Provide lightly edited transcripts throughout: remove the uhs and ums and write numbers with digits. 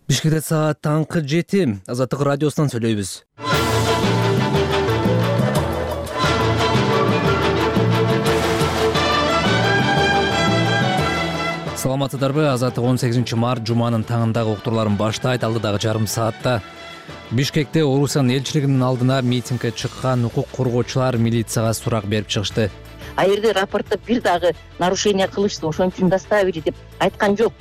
Бишкекте саат таңкы 7. Азаттык радиосунан сүйлөйбүз. Саламатсыздарбы? Азаттык 18-март жуманын таңындагы уктурларын баштайт. Алдыдагы жарым саатта Бишкекте Орусиянын элчилигинин алдына митингге чыккан укук коргоочулар милицияга сурак берип чыгышты. А жерде рапортто бир дагы нарушение кылышты, ошон үчүн доставили деп айткан жок.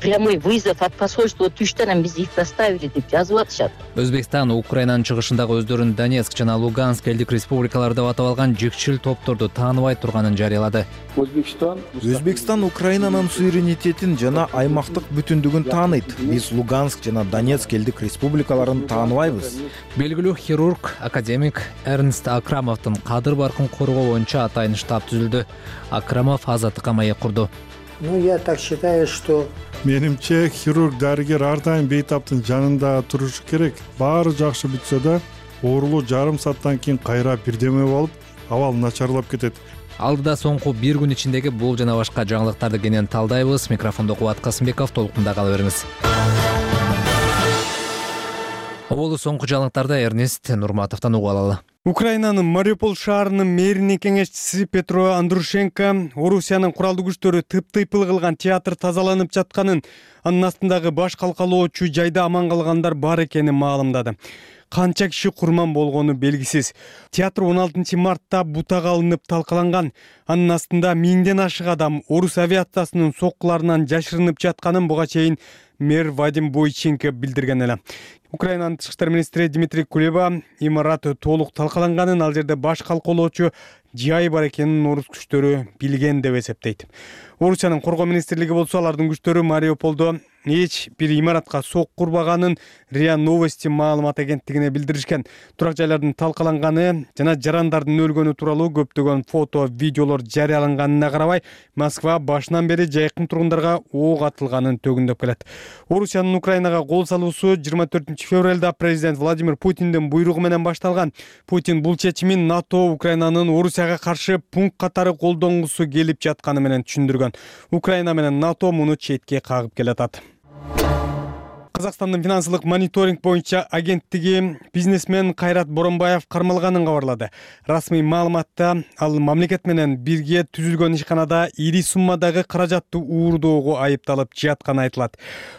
Прямой вызов от посольства түштү, анан бизди их доставили деп жазып атышат. Өзбекстан Украинанын чыгышындагы өздөрүн Донецк жана Луганск элдик республикалары деп атап алган жекчил топторду тааныбай турганын жарыялады. Өзбекстан Украинанын суверенитетин жана аймактык бүтүндүгүн тааныйт. Биз Луганск жана Донецк элдик республикаларын тааныбайбыз. Белгилүү хирург, академик Эрнст Акрамовдун кадыр баркын коргоо боюнча атайын штаб түзүлдү. Акрамов азаттыкка маек курду. Я так считаю, что Менимче хирург, дарыгер ар дайым бейтаптын жанында турушу керек. Баары жакшы бүтсө да, оорулуу жарым сааттан кийин кайра бирдеме болуп, абал начарлап кетет. Алдыда соңку бир күн ичиндеги бул жана башка жаңылыктарды кенен талдайбыз. Микрофондо Кубат Касымбеков, толкунда кала бериңиз. Оболу соңку жаңылыктарды Эрнест Нурматовдон угуп алалы. Украинанын Мариуполь шаарынын мэринин кеңешчиси Петро Андрушенко Орусиянын куралдуу күчтөрү тыптыйпыл кылган театр тазаланып жатканын, анын астындагы баш калкалоочу жайда аман калгандар бар экенин маалымдады. Канча киши курман болгону белгисиз. Театр 16 мартта бутага алынып талкаланган. Анын астында 1000ден ашык адам орус авиациясынын соккуларынан жашырынып жатканын буга чейин мэр Вадим Бойченко билдирген эле. Украинанын тышкы иштер министри Дмитрий Кулеба имарат толук талкаланганын, ал жерде баш калкалоочу жай бар экенин орус күчтөрү билген деп эсептейт. Орусиянын коргоо министрлиги болсо алардын күчтөрү Мариуполдо эч бир имаратка сок курбаганын РИА Новости маалымат агенттигине билдиришкен. Турак жайлардын талкаланганы жана жарандардын өлгөнү тууралуу көптөгөн фото, видеолор жарыяланганына карабай, Москва башынан бери жайкын тургундарга ок атылганын төгүндөп келет. Орусиянын Украинага кол салуусу 24 февралда президент Владимир Путиндин буйругу менен башталган. Путин бул чечимин НАТО Украинанын Орусияга каршы пункт катары колдонгусу келип жатканы менен түшүндүргөн. Украина менен НАТО муну четке кагып келатат. Казакстандын финансылык мониторинг боюнча агенттиги бизнесмен Кайрат Боронбаев кармалганын кабарлады. Расмий маалыматта ал мамлекет менен бирге түзүлгөн ишканада ири суммадагы каражатты уурдоого айыпталып жатканы айтылат.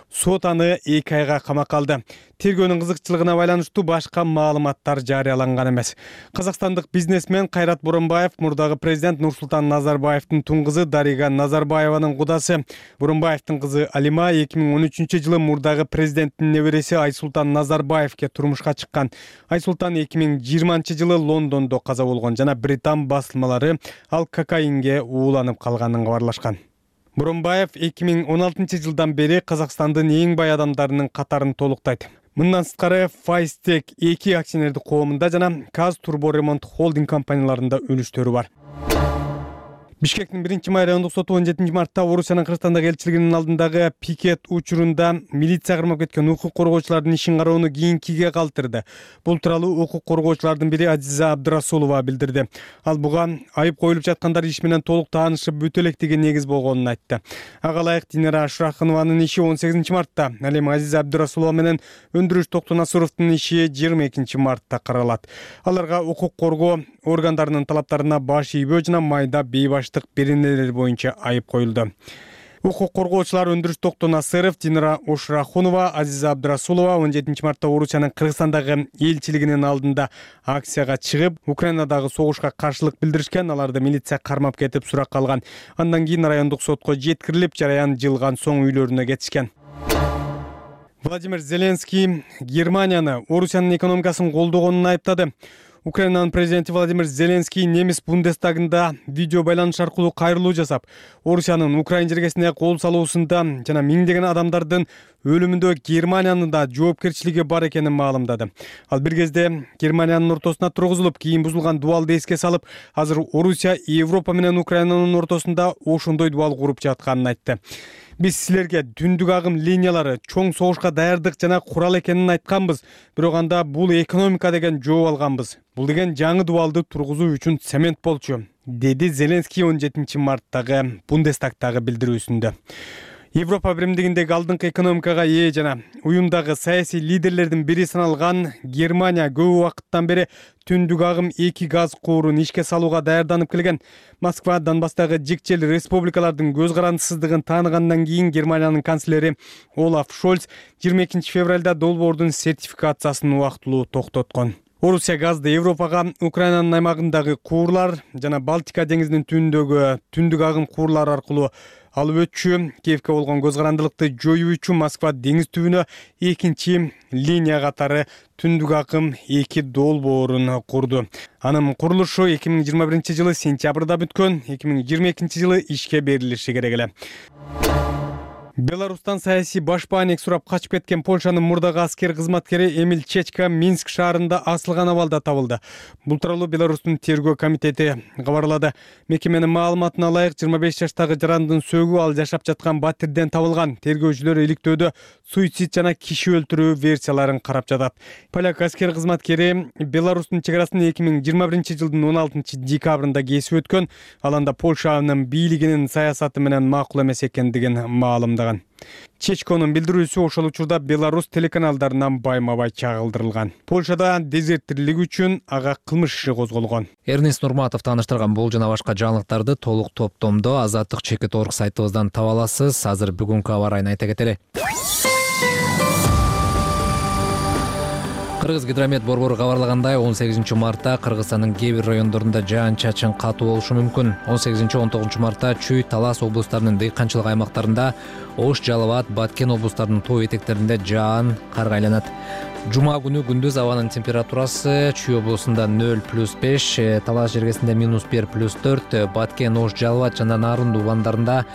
Сот аны 2 айга камакка алды. Тергөөнүн кызыкчылыгына байланыштуу башка маалыматтар жарыяланган эмес. Казакстандык бизнесмен Кайрат Боронбаев мурдагы президент Нурсултан Назарбаевдин тун кызы Дарига Назарбаеванын кудасы. Боронбаевдин кызы Алима 2013-жылы мурдагы президенттин небереси Айсултан Назарбаевке турмушка чыккан. Айсултан 2020-жылы Лондондо каза болгон жана британ басылмалары ал кокаинге ууланып калганын кабарлашкан. Боронбаев 2016-жылдан бери Казакстандын эң бай адамдарынын катарын толуктайт. Мындан сырткары Файстек 2 акционердик коомунда жана Казтурборемонт холдинг компанияларында үлүштөрү бар. Бишкектин 1-май райондук соту 17 мартта Орусиянын Кыргызстандагы элчилигинин алдындагы пикет учурунда милиция кырмап кеткен укук коргоочулардын ишин кароону кийинкиге калтырды. Бул тууралуу укук коргоочулардын бири Азиза Абдырасулова билдирди. Ал буга айып коюлуп жаткандар иш менен толук таанышып бүтө электиги негиз болгонун айтты. Ага ылайык Динара Шурахынованын иши 18 мартта, ал эми Азиза Абдырасулова менен Өндүрүш Токтонасыровдун иши 22 мартта каралат. Аларга укук коргоо органдарынын талаптарына баш ийбөө жана майда бейбаштык беренелер боюнча айып коюлду. Укук коргоочулар Өндүрүш Токтонасыров, Динара Ошрахунова, Азиза Абдырасулова 17 мартта Орусиянын Кыргызстандагы элчилигинин алдында акцияга чыгып, Украинадагы согушка каршылык билдиришкен. Аларды милиция кармап кетип суракка алган. Андан кийин райондук сотко жеткирилип, жараян жылган соң үйлөрүнө кетишкен. Владимир Зеленский Германияны Орусиянын экономикасын колдогонун айыптады. Украинанын президенти Владимир Зеленский немис Бундестагында видео байланыш аркылуу кайрылуу жасап, Орусиянын Украин жергесине кол салуусунда жана миңдеген адамдардын өлүмүндө Германиянын да жоопкерчилиги бар экенин маалымдады. Ал бир кезде Германиянын ортосуна тургузулуп, кийин бузулган дубалды эске салып, азыр Орусия Европа менен Украинанын ортосунда ошондой дубал куруп жатканын айтты. Биз силерге түндүк агым линиялары, чоң согушка даярдык жана курал экенин айтканбыз. Бирок анда бул экономика деген жооп алганбыз. Бул деген жаңы дубалды тургузуу үчүн цемент болчу, деди Зеленский 17 марттагы Бундестагтагы билдирүүсүндө. Европа биримдигиндеги алдыңкы экономикага ээ жана уюмдагы саясий лидерлердин бири саналган Германия көп убакыттан бери түндүк агым 2 газ куурун ишке салууга даярданып келген. Москва Донбасстагы жикчел республикалардын көз карандысыздыгын тааныгандан кийин Германиянын канцлери Олаф Шольц 22 февралда долбоордун сертификациясын убактылуу токтоткон. Орусия газды Европага Украинанын аймагындагы куурлар жана Балтика деңизинин түбүндөгү түндүк агым куурлар аркылуу алып өтчү. Киевке болгон көз карандылыкты жоюу үчүн Москва деңиз түбүнө экинчи линия катары түндүк агым 2 долбоорун курду. Анын курулушу 2021 сентябрда бүткөн, 2022 жылы ишке берилиши керек эле. Беларустан саясий башпаанек сурап качып кеткен Польшанын мурдагы аскер кызматкери Эмиль Чечка Минск шаарында асылган абалда табылды. Бул тууралуу Беларустун тергөө комитети кабарлады. Мекеменин маалыматына ылайык 25 жаштагы жарандын сөгү ал жашап жаткан батирден табылган. Тергөөчүлөр иликтөөдө суицид жана киши өлтүрүү версияларын карап жатат. Поляк аскер кызматкери Беларустун чек арасын 2021 жылдын 16 декабрында кесип өткөн. Ал анда Польшанын бийлигинин саясаты менен макул эмес экендигин маалымдаган. Чечконун билдирүүсү ошол учурда Беларусь телеканалдарынан байма-бай чагылдырылган. Польшада дезертирлик үчүн ага кылмыш иши козголгон. Эрнест Нурматов тааныштырган бул жана башка жаңылыктарды толук топтомдо Азаттык Чекит.org сайтыбыздан таба аласыз. Азыр бүгүнкү аба ырайын айта кетели. Кыргыз гидромет борбору кабарлагандай 18 мартта Кыргызстандын кээ бир райондорунда жаан-чачын катуу болушу мүмкүн. 18-19 мартта Чүй, Талас облустарынын дыйканчылык аймактарында, Ош, Жалал Абад, Баткен облустарынын тоо этектеринде жаан карга айланат. Жума күнү күндүз абанын температурасы Чүй облусунда 0+5, Талас жергесинде -1, +4, Баткен, Ош, Жалал Абад жана Нарын ууландарында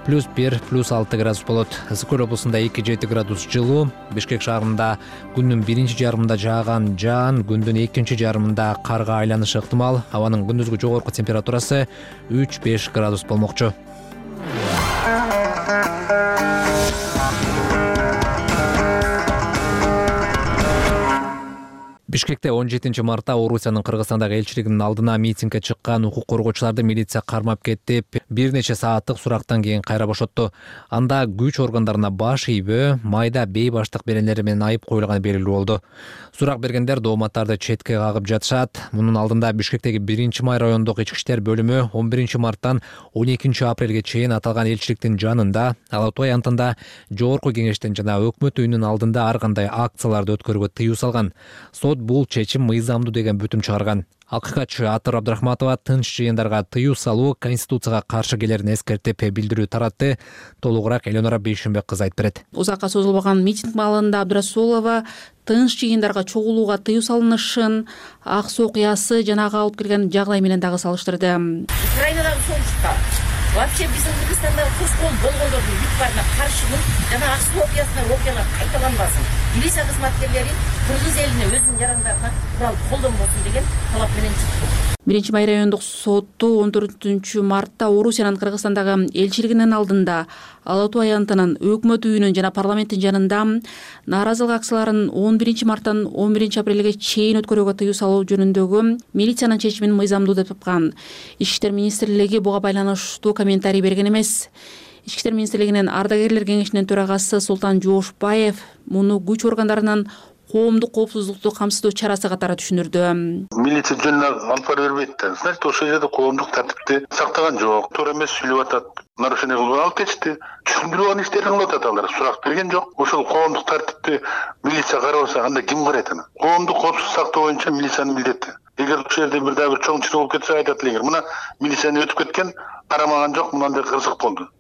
+1, +6 градус болот. Ысык көл облусунда 2-7 градус жылуу. Бишкек шаарында күндүн биринчи жарымында жааган жаан күндүн экинчи жарымында карга айланышы ыктымал. Абанын күндүзгү жогорку температурасы 3-5 градус болмокчу. Бишкекте 17 мартта Орусиянын Кыргызстандагы элчилигинин алдына митингге чыккан укук коргоочуларды милиция кармап кетип, бир нече сааттык сурактан кийин кайра бошотту. Анда күч органдарына баш ийбөө, майда бейбаштык беренелери менен айып коюлганы белгилүү болду. Сурак бергендер дооматтарды четке кагып жатышат. Мунун алдында Бишкектеги 1-май райондук ички иштер бөлүмү 11 марттан 12 апрелге чейин аталган элчиликтин жанында, Алатуу аянтында, Жогорку кеңештин жана өкмөт үйүнүн алдында ар кандай акцияларды өткөрүүгө тыюу салган. Сот бул чечим мыйзамдуу деген бүтүм чыгарган. Акыйкатчы Атыр Абдрахматова тынч жыйындарга тыюу салуу Конституцияга каршы келерин эскертип билдирүү таратты. Толугураак Эленора Бейшенбек кызы айтып берет. Узакка созулбаган митинг маалында Абдрасулова тынч жыйындарга чогулууга тыюу салынышын, Аксу окуясы жана ага алып келген жагдай менен дагы салыштырды. Украинадагы согушка вообще биздин Кыргызстандагы курскол болгондордун бүт баарына каршымын жана Аксу окуясына окуялар кайталанбасын. Милиция кызматкерлери Кыргыз элине өзүнүн жарандарына курал колдонбосун деген талап менен чыкты. 1-май райондук соту 14 мартта Орусиянын Кыргызстандагы элчилигинин алдында, Алатуу аянтынын, өкмөт үйүнүн жана парламенттин жанында нааразылык акцияларын 11 марттан 11 апрелге чейин өткөрүүгө тыюу салуу жөнүндөгү милициянын чечимин мыйзамдуу деп тапкан. Ички иштер министрлиги буга байланыштуу комментарий берген эмес. Ички иштер министрлигинин ардагерлер кеңешинин төрагасы Султан Жоошбаев муну күч органдарынын коомдук коопсуздукту камсыздоо чарасы катары түшүндүрдү. Милиция жөнүнө алып бара бербейт да. Значит, ошол жерде коомдук тартипти сактаган жок. Туура эмес сүйлөп атат. Нарушение кылып алып кетишти. Түшүндүрүү иштерин кылып атат алар. Сурак берген жок. Ошол коомдук тартипти милиция карабаса, анда ким карайт аны? Коомдук коопсуздук сактоо боюнча милициянын милдети. Эгер ошол жерде бир дагы бир чоң чыр болуп кетсе айтат элеңер. Мына милицияны өтүп кеткен, карамаган жок, мындай кырсык болду.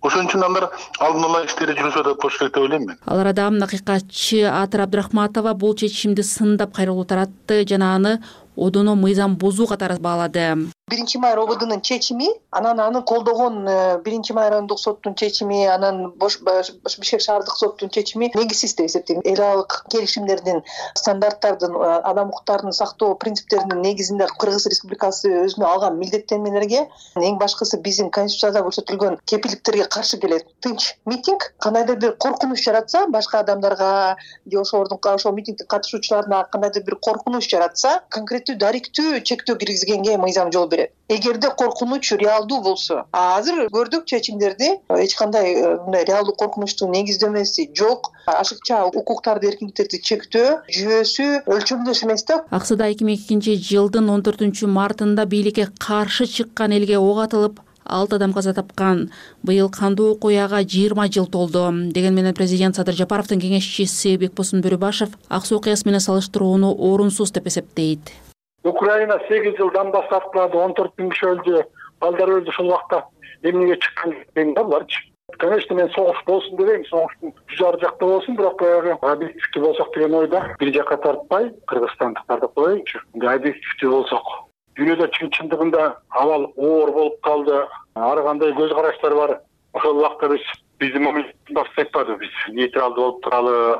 Ошон үчүн алар алдын ала иштери жүрүп атат болуш керек деп ойлойм мен. Ал арада акыйкатчы Атыр Абдрахматова бул чечимди сындап кайрылуу таратты жана аны одоно мыйзам бузуу катары баалады. 1-май РОБДнын чечими, анан колдогон 1-май райондук соттун чечими, анан Бишкек шаардык соттун чечими негизсиз деп эсептейм. Эл аралык келишимдердин, стандарттардын, адам укуктарын сактоо принциптеринин негизинде Кыргыз Республикасы өзүнө алган милдеттенмелерге эң башкысы биздин Конституцияда көрсөтүлгөн кепилдиктерге каршы келет. Тынч митинг кандайдыр бир коркунуч жаратса, башка адамдарга же ошол митингдин катышуучуларына кандайдыр бир коркунуч жаратса, конкреттүү интернетти даректүү чектөө киргизгенге мыйзам жол берет. Эгерде коркунуч реалдуу болсо, азыр көрдүк чечимдерди эч кандай мындай реалдуу коркунучтун негиздемеси жок, ашыкча укуктарды, эркиндиктерди чектөө жүйөсү өлчөмдөс эмес да. Аксыда 2002 жылдын 14-мартында бийликке каршы чыккан элге ок атылып 6 адам каза тапкан. Быйыл кандуу окуяга 20 жыл толду. Деген менен президент Садыр Жапаровдун кеңешчиси Бекбосун Бөрүбашев аксы окуясы менен салыштырууну орунсуз деп эсептейт. Украина 8 жылдан баштап 14 000 киши өлдү, балдар өлдү. Ошол убакта эмнеге чыккан деген да буларчы. Конечно, мен согуш болсун дебейм, согуштун жар жакта болсун, бирок баягы объективдүү болсок деген ойда бир жакка тартпай кыргызстандыктарды коеюнчу. Объективдүү болсок, дүйнөдө чындыгында абал оор болуп калды. Ар кандай көз караштар бар. Ошол убакта биздин мамлекетти айтпады, биз нейтралдуу болуп туралы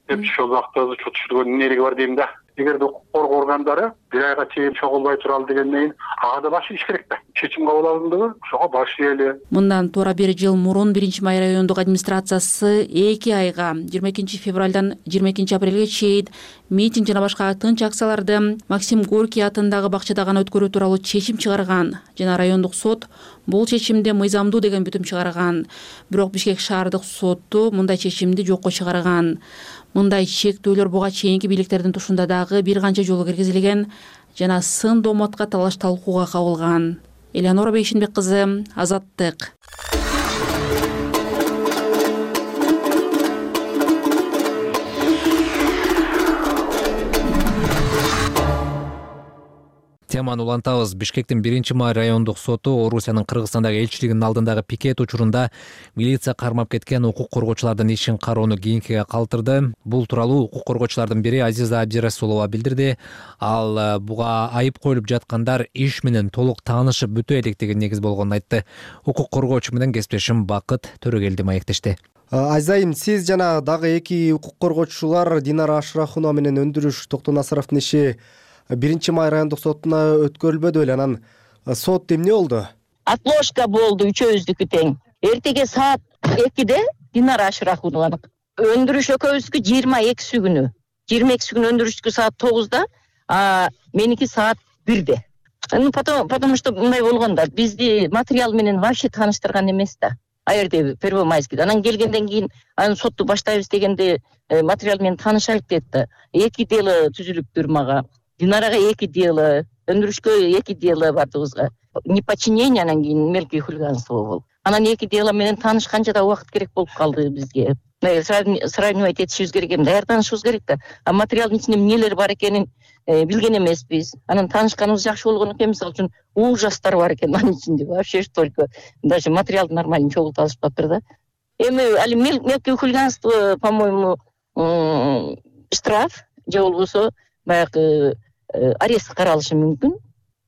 деп ошол убакта чөтүшүргөн энергия бар дейм да. Эгерде укук коргоо органдары бир айга чейин чогулбай туралы дегенден кийин ага да баш ийиш керек да. Чечим кабыл алындыбы, ошого баш ийели. Мындан туура 1 жыл мурун 1-Май райондук администрациясы 2 айга 22 февралдан 22 апрелге чейин митинг жана башка тынч акцияларды Максим Горький атындагы бакчада гана өткөрүү тууралуу чечим чыгарган жана райондук сот бул чечимде мыйзамдуу деген бүтүм чыгарган. Бирок Бишкек шаардык соту мындай чечимди жокко чыгарган. Мындай чектөөлөр буга чейинки бийликтердин тушунда дагы бир канча жолу киргизилген жана сын домотка талаш талкууга кабылган. Элеонора Бейшинбек кызы, Азаттык. Теманы улантабыз. Бишкектин 1-Май райондук соту Орусиянын Кыргызстандагы элчилигинин алдындагы пикет учурунда милиция кармап кеткен укук коргоочулардын ишин кароону кийинкиге калтырды. Бул тууралуу укук коргоочулардын бири Азиза Абдирасулова билдирди. Ал буга айып коюлуп жаткандар иш менен толук таанышып бүтө электигин негиз болгонун айтты. Укук коргоочу менен кесиптешим Бакыт Төрөгелди маектешти. Азайым, сиз жана дагы 2 укук коргоочулар Динара Ашрахунова менен Өндүрүш Токтонасыровдун иши 1-Май райондук сотуна өткөрүлбөдү беле. Анан сот эмне болду? Отложка болду үчөөбүздүкү тең. Эртеге саат 2-де Динара Ашрахунованын Өндүрүш экөөбүздүкү 22 күнү. 22 күнү Өндүрүштүкү саат 9-да, меники саат 1-де. Потому что мындай болгон да, бизди материал менен вообще тааныштырган эмес да. Аерде Первомайский. Анан келгенден кийин анын сотту баштайбыз дегенде материал менен таанышайлык дейт да. 2 дело түзүлүптүр мага. Динарага 2 дело, Өндүрүшкө 2 дело бардыгыбызга. Неподчинение анан кийин мелкое хулиганство болду. Анан 2 дело менен таанышканча да убакыт керек болуп калды бизге. Сравнивать этишибиз керек эми, даярданышыбыз керек да. А материалдын ичинде эмнелер бар экенин билген эмеспиз. Анан таанышканыбыз жакшы болгон экен, мисалы үчүн ужастар бар экен анын ичинде. Вообще только даже материалды нормально чогулта алышпаптыр да. Эми али мелкое хулиганство, по-моему, штраф же болбосо баягы арест каралышы мүмкүн.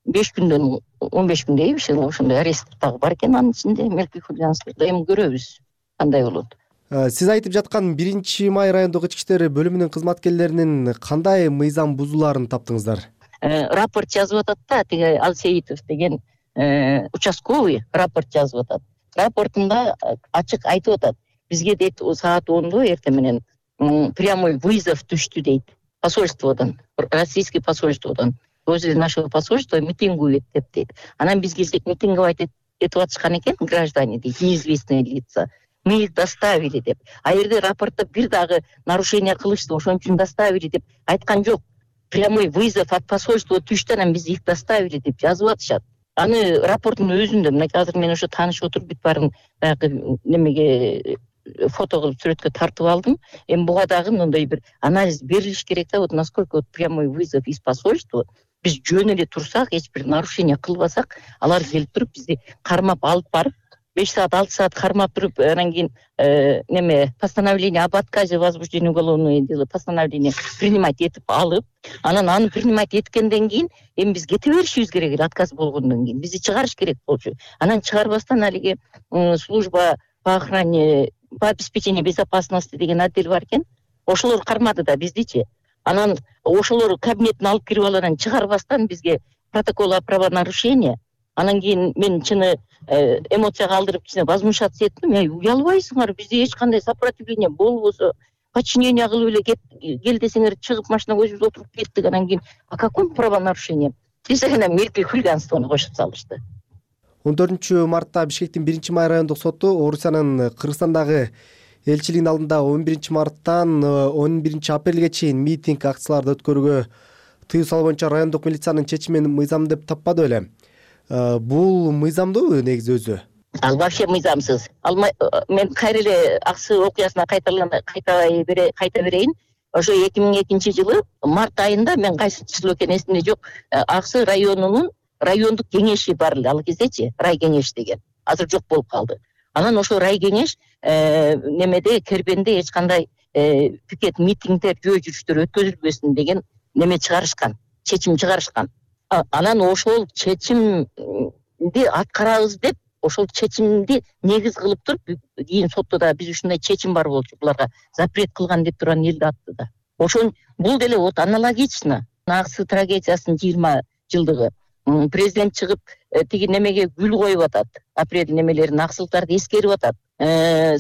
5 күндөн 15 күндөй ошондой арест дагы бар экен анын ичинде. Мелкое хулиганство эми көрөбүз кандай болот. Сиз айтып жаткан 1-Май райондук ички иштер бөлүмүнүн кызматкерлеринин кандай мыйзам бузууларын таптыңыздар? Рапорт жазып атат да, тиги Алсеитов деген участковый рапорт жазып атат. Рапортунда ачык айтып атат. Бизге дейт саат 10-до эртең менен прямой вызов түштү дейт. Посольстводон, российский посольстводон. Возле нашего посольства митингует деп дейт. Анан биз келсек митинговать этип атышкан экен граждане дейт, неизвестные лица. Мы их доставили деп. А жерде рапортто бир дагы нарушение кылышты, ошон үчүн доставили деп айткан жок. Прямой вызов от посольства түштү, анан биз их доставили деп жазып атышат. Аны рапорттун өзүндө мына азыр мен ошо таанышып отуруп бүт баарын баягы немеге фото кылып сүрөткө тартып алдым. Эми буга дагы мындай бир анализ берилиш керек да, вот насколько вот прямой вызов из посольства. Биз жөн эле турсак, эч бир нарушение кылбасак, алар келип туруп бизди кармап алып барып 5 саат 6 саат кармап туруп, анан кийин неме постановление об отказе возбуждения уголовного дела, постановление принимать этип алып, анан аны принимать эткенден кийин эми биз кете беришибиз керек эле, отказ болгондон кийин бизди чыгарыш керек болчу. Анан чыгарбастан алиги служба по охране, по обеспечению безопасности деген отдел бар экен. Ошолор кармады да биздичи. Анан ошолор кабинетине алып кирип алып анан чыгарбастан бизге протокол о правонарушении. Анан кийин мен чыны эмоцияга алдырып кичине возмущаться эттим. Уялбайсыңар, бизде эч кандай сопротивление болбосо, подчинение кылып эле кел десеңер чыгып машинага өзүбүз отуруп кеттик. Анан кийин о каком правонарушении десек анан мелкий хулиганствону кошуп салышты. 14 мартта Бишкектин 1-май райондук соту Орусиянын Кыргызстандагы элчилигинин алдында 11 марттан 11 апрелге чейин митинг акцияларды өткөрүүгө тыюу салуу боюнча райондук милициянын чечимин мыйзам деп таппады беле? Бул мыйзамдуу негизи өзү? Ал вообще мыйзамсыз. Мен кайра эле аксы окуясына кайта берейин. Ошо 2002-жылы март айында, мен кайсы число экенин эсимде жок, Аксы районунун райондук кеңеши бар эле ал кездечи, рай кеңеш деген. Азыр жок болуп калды. Анан ошо рай кеңеш немеде Кербенде эч кандай пикет митингдер, жөө жүрүштөр өткөзүлбөсүн деген неме чыгарышкан, чечим чыгарышкан. Анан ошол чечимди аткарабыз деп, ошол чечимди негиз кылып туруп, кийин сотто да биз ушундай чечим бар болчу, буларга запрет кылган деп турган элди атты да. Ошон бул деле вот аналогично. Аксы трагедиясынын 20 жылдыгы. Президент чыгып тиги немеге гүл коюп атат. Апрель немелерин, аксылыктарды эскерип атат.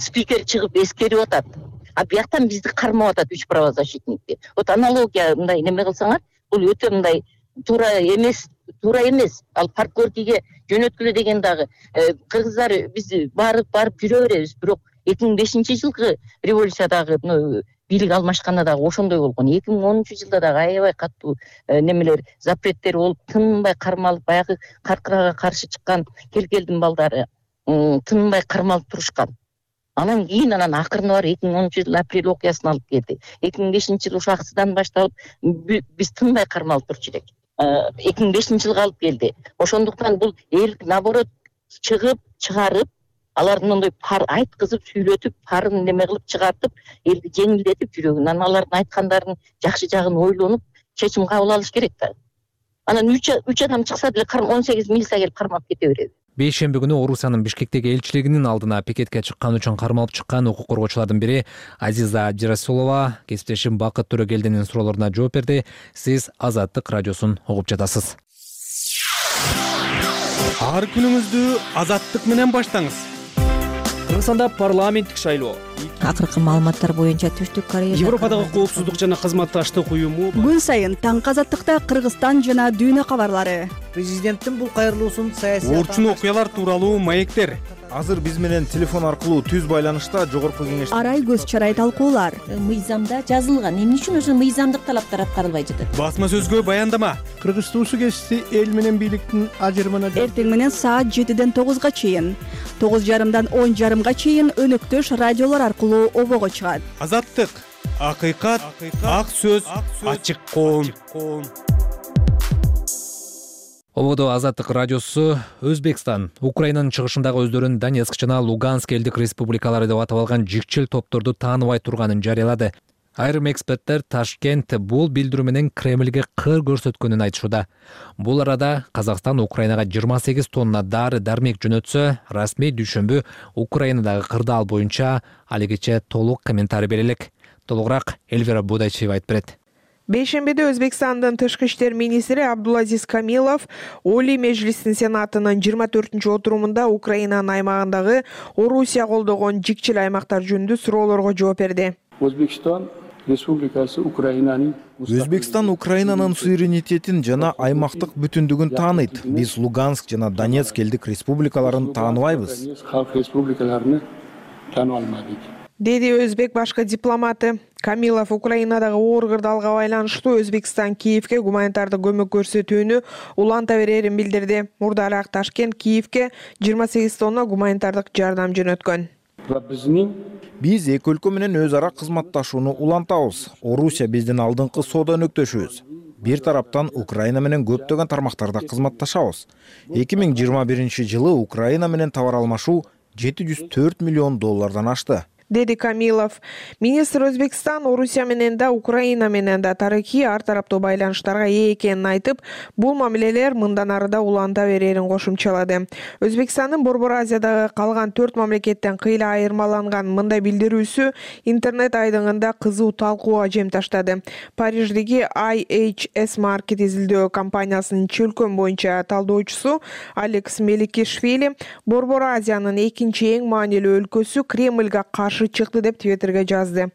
Спикер чыгып эскерип атат. А бияктан бизди кармап атат 3 правозащитникти. Вот аналогия мындай неме кылсаңар, бул өтө мындай туура эмес. Ал паркөркиге жөнөткүлө деген дагы кыргыздар биз барып жүрө беребиз, бирок 2005-жылкы революциядагы бийлик алмашканда дагы ошондой болгон. 2010-жылда дагы аябай катуу немелер, запреттер болуп, тынбай кармалып, баягы каркырага каршы чыккан келдин балдары тынбай кармалып турушкан. Анан кийин акырына барып 2010-жылы апрель окуясын алып келди. 2005-жылы ошо аксыдан башталып биз тынбай кармалып турчу элек. 2005-жылга алып келди. Ошондуктан бул эл наоборот чыгарып, алардын ондой айткызып, сүйлөтүп, парын неме кылып чыгартып, элди жеңилдетип жүрөгүн. Анан алардын айткандарын жакшы жагын ойлонуп, чечим кабыл алыш керек да. Анан 3 адам чыкса деле 18 милиция келип кармап кете берет. Бейшемби күнү Орусиянын Бишкектеги элчилигинин алдына пикетке чыккан үчүн кармалып чыккан укук коргоочулардын бири Азиза Жирасулова кесиптешим Бакыт Төрөгелдинин суроолоруна жооп берди. Сиз Азаттык радиосун угуп жатасыз. Ар күнүңүздү Азаттык менен баштаңыз. Кыргызстанда парламенттик шайлоо. Акыркы маалыматтар боюнча Түштүк Корея Европадагы коопсуздук жана кызматташтык уюму күн сайын таңкы Азаттыкта Кыргызстан жана дүйнө кабарлары. Президенттин бул кайрылуусун саясий орчун окуялар тууралуу маектер. Азыр биз менен телефон аркылуу түз байланышта жогорку кеңеш арай көз чарай талкуулар. Мыйзамда жазылган. Эмне үчүн ошо мыйзамдык талаптар аткарылбай жатат? Басма сөзгө баяндама. Кыргыз туусу кести эл менен бийликтин ажырымына Эртең менен саат 7-ден 9-га чейин, 9:30-дан 10:30-га чейин өнөктөш радиолор аркылуу обого чыгат. Азаттык, акыйкат, ак сөз, ачык коом. Ободо Азаттык радиосу Өзбекстан Украинанын чыгышындагы өздөрүн Донецк жана Луганск элдик республикалары деп атап алган жикчил топторду тааныбай турганын жарыялады. Айрым эксперттер Ташкент бул билдирүү менен Кремлге кыр көрсөткөнүн айтышууда. Бул арада Казакстан Украинага 28 тонна дары-дармек жөнөтсө, расмий дүйшөмбү Украинадагы кырдаал боюнча алигиче толук комментарий берелек. Толугураак Эльвира Будайчиева айтып берет. Бейшембиде Өзбекстандын тышкы иштер министри Абдулазиз Камилов Олий Мejlисинин Сенатынын 24-отурумунда Украинанын аймагындагы Орусия колдогон жикчил аймактар жөнүндө суроолорго жооп берди. Өзбекстан Республикасы Өзбекстан Украинанын суверенитетин жана аймактык бүтүндүгүн тааныйт. Биз Луганск жана Донецк элдик республикаларын тааныбайбыз. Халк республикаларын таанып алмадык, деди өзбек башкы дипломаты. Камилов Украинадагы оор кырдаалга байланыштуу Өзбекстан Киевке гуманитардык көмөк көрсөтүүнү уланта берерин билдирди. Мурдараак Ташкент Киевке 28 тонна гуманитардык жардам жөнөткөн. Биз эки өлкө менен өз ара кызматташууну улантабыз. Орусия биздин алдыңкы соода өнөктөшүбүз. Бир тараптан Украина менен көптөгөн тармактарда кызматташабыз. 2021-жылы Украина менен товар алмашуу $704 миллион ашты. Деди Камилов. Министр Өзбекстан Орусия менен да Украина менен да тарыхый ар тараптуу байланыштарга ээ экенин айтып, бул мамилелер мындан ары да уланта берерин кошумчалады. Өзбекстандын Борбор Азиядагы калган 4 мамлекеттен кыйла айырмаланган мындай билдирүүсү интернет айдыңында кызуу талкууга жем таштады. Париждеги IHS Market изилдөө компаниясынын чөлкөн боюнча талдоочусу Алекс Меликишвили Борбор Азиянын экинчи эң маанилүү өлкөсү Кремльге каршы каршы чыкты деп Твиттерге жазды.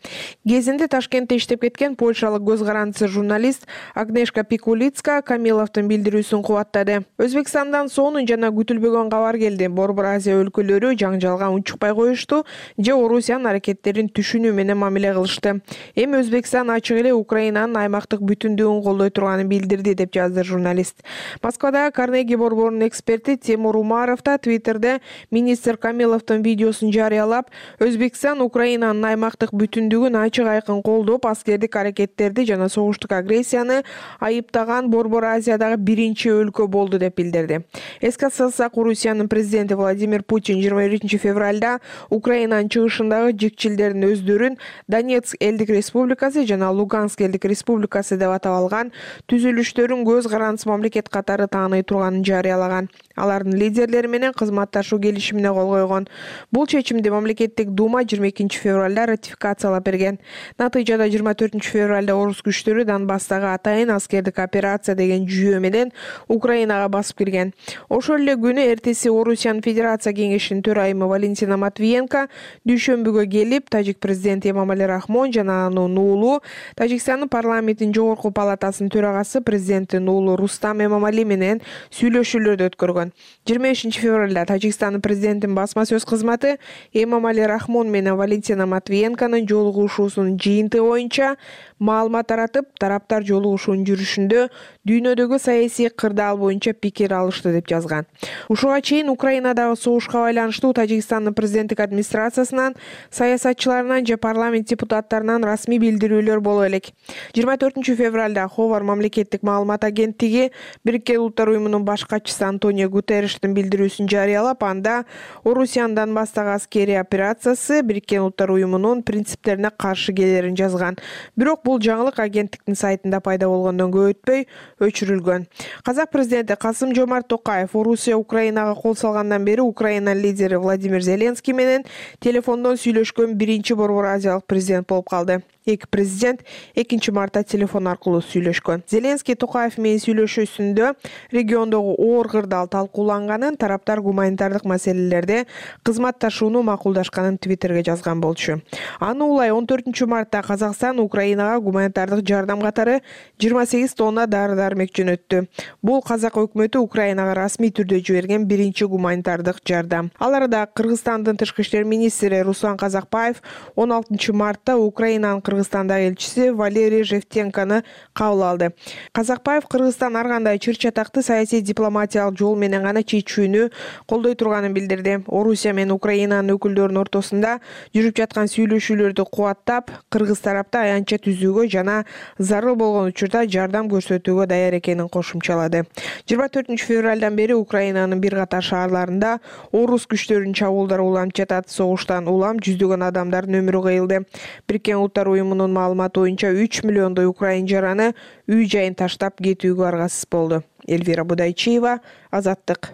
Кезинде Ташкентте иштеп кеткен польшалык көз карандысы журналист Агнешка Пикулицка Камиловдун билдирүүсүн кубаттады. Өзбекстандан сонун жана күтүлбөгөн кабар келди. Борбор Азия өлкөлөрү жаңжалга унчукпай коюшту же Орусиянын аракеттерин түшүнүү менен мамиле кылышты. Эми Өзбекстан ачык эле Украинанын аймактык бүтүндүгүн колдой турганын билдирди деп жазды журналист. Москвадагы Карнеги борборунун эксперти Тимур Умаров да Твиттерде министр Камиловдун видеосун жарыялап, Өзбекстан Украинанын аймактык бүтүндүгүн ачык айкын колдоп, аскердик аракеттерди жана согуштук агрессияны айыптаган Борбор Азиядагы биринчи өлкө болду деп билдирди. Эске салсак, Орусиянын президенти Владимир Путин 21 февралда Украинанын чыгышындагы жикчилдердин өздөрүн Донецк элдик республикасы жана Луганск элдик республикасы деп атап алган түзүлүштөрүн көз карандысы мамлекет катары тааный турганын жарыялаган. Алардын лидерлери менен кызматташуу келишимине кол койгон. Бул чечимди мамлекеттик дума 22 февралда ратификациялап берген. Натыйжада 24 февралда орус күчтөрү Донбасстагы атайын аскердик операция деген жүйө менен Украинага басып кирген. Ошол эле күнү эртеси Орусиянын Федерация кеңешинин төрайымы Валентина Матвиенко дүйшөмбүгө келип, тажик президенти Эмомали Рахмон жана анын уулу, Тажикстандын парламентинин жогорку палатасынын төрагасы президенттин уулу Рустам Эмомали менен сүйлөшүүлөрдү өткөргөн. 25 февралда Тажикстандын президентинин басма сөз кызматы Эмомали Рахмон менен Валентина Матвиенконун жолугушуусунун жыйынтыгы боюнча маалымат таратып, тараптар жолугушуунун жүрүшүндө дүйнөдөгү саясий кырдаал боюнча пикир алышты деп жазган. Ушуга чейин Украинадагы согушка байланыштуу Тажикстандын президенттик администрациясынан, саясатчыларынан же парламент депутаттарынан расмий билдирүүлөр боло элек. 24 февралда Ховар мамлекеттик маалымат агенттиги Бириккен Улуттар уюмунун баш катчысы Антонио Гутерриштин билдирүүсүн жарыялап, анда Орусиянын Донбасстагы аскерий операциясы Бириккен Улуттар уюмунун принциптерине каршы келерин жазган. Бирок бул жаңылык агенттиктин сайтында пайда болгондон көп өтпөй өчүрүлгөн. Казак президенти Касым-Жомарт Токаев Орусия Украинага кол салгандан бери Украинанын лидери Владимир Зеленский менен телефондон сүйлөшкөн биринчи Борбор Азиялык президент болуп калды. Эки президент 2 мартта телефон аркылуу сүйлөшкөн. Зеленский Токаев менен сүйлөшүүсүндө региондогу оор кырдаал талкууланганын, тараптар гуманитардык маселелерде кызматташууну макулдашканын Твиттерге жазган болчу. Аны улай 14 мартта Казакстан Украинага гуманитардык жардам катары 28 тонна дары-дармек жөнөттү. Бул Казак өкмөтү Украинага расмий түрдө жиберген биринчи гуманитардык жардам. Ал арада Кыргызстандын тышкы иштер министри Руслан Казакбаев 16 мартта Украинанын Кыргызстандагы элчиси Валерий Жевтенкону кабыл алды. Казакбаев Кыргызстан ар кандай чыр-чатакты саясий дипломатиялык жол менен гана чечүүнү колдой турганын билдирди. Орусия менен Украинанын өкүлдөрүнүн ортосунда жүрүп жаткан сүйлөшүүлөрдү кубаттап, кыргыз тарапты аянтча түзүүгө жана зарыл болгон учурда жардам көрсөтүүгө даяр экенин кошумчалады. 24 февралдан бери Украинанын бир катар шаарларында орус күчтөрүнүн чабуулдары уланып жатат. Согуштан улам жүздөгөн адамдардын өмүрү кыйылды. Бириккен Улуттар уюмунун маалыматы боюнча 3 миллиондой украин жараны үй жайын таштап кетүүгө аргасыз болду. Эльвира Будайчиева, Азаттык.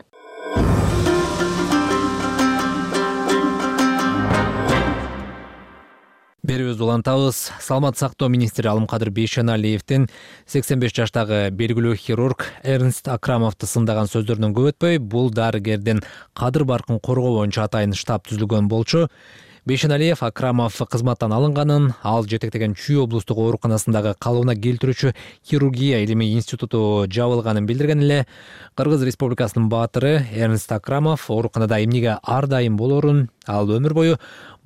Берүүбүздү улантабыз. Саламаттык сактоо министри Алымкадыр Бейшеналиевдин 85 жаштагы белгилүү хирург Эрнст Акрамовду сындаган сөздөрүнөн көп өтпөй, бул дарыгердин кадыр баркын коргоо боюнча атайын штаб түзүлгөн болчу. Бейшеналиев Акрамов кызматтан алынганын, ал жетектеген Чүй облустук ооруканасындагы калыбына келтирүүчү хирургия илимий институту жабылганын билдирген эле. Кыргыз Республикасынын баатыры Эрнст Акрамов ооруканада эмнеге ар дайым болорун, ал өмүр бою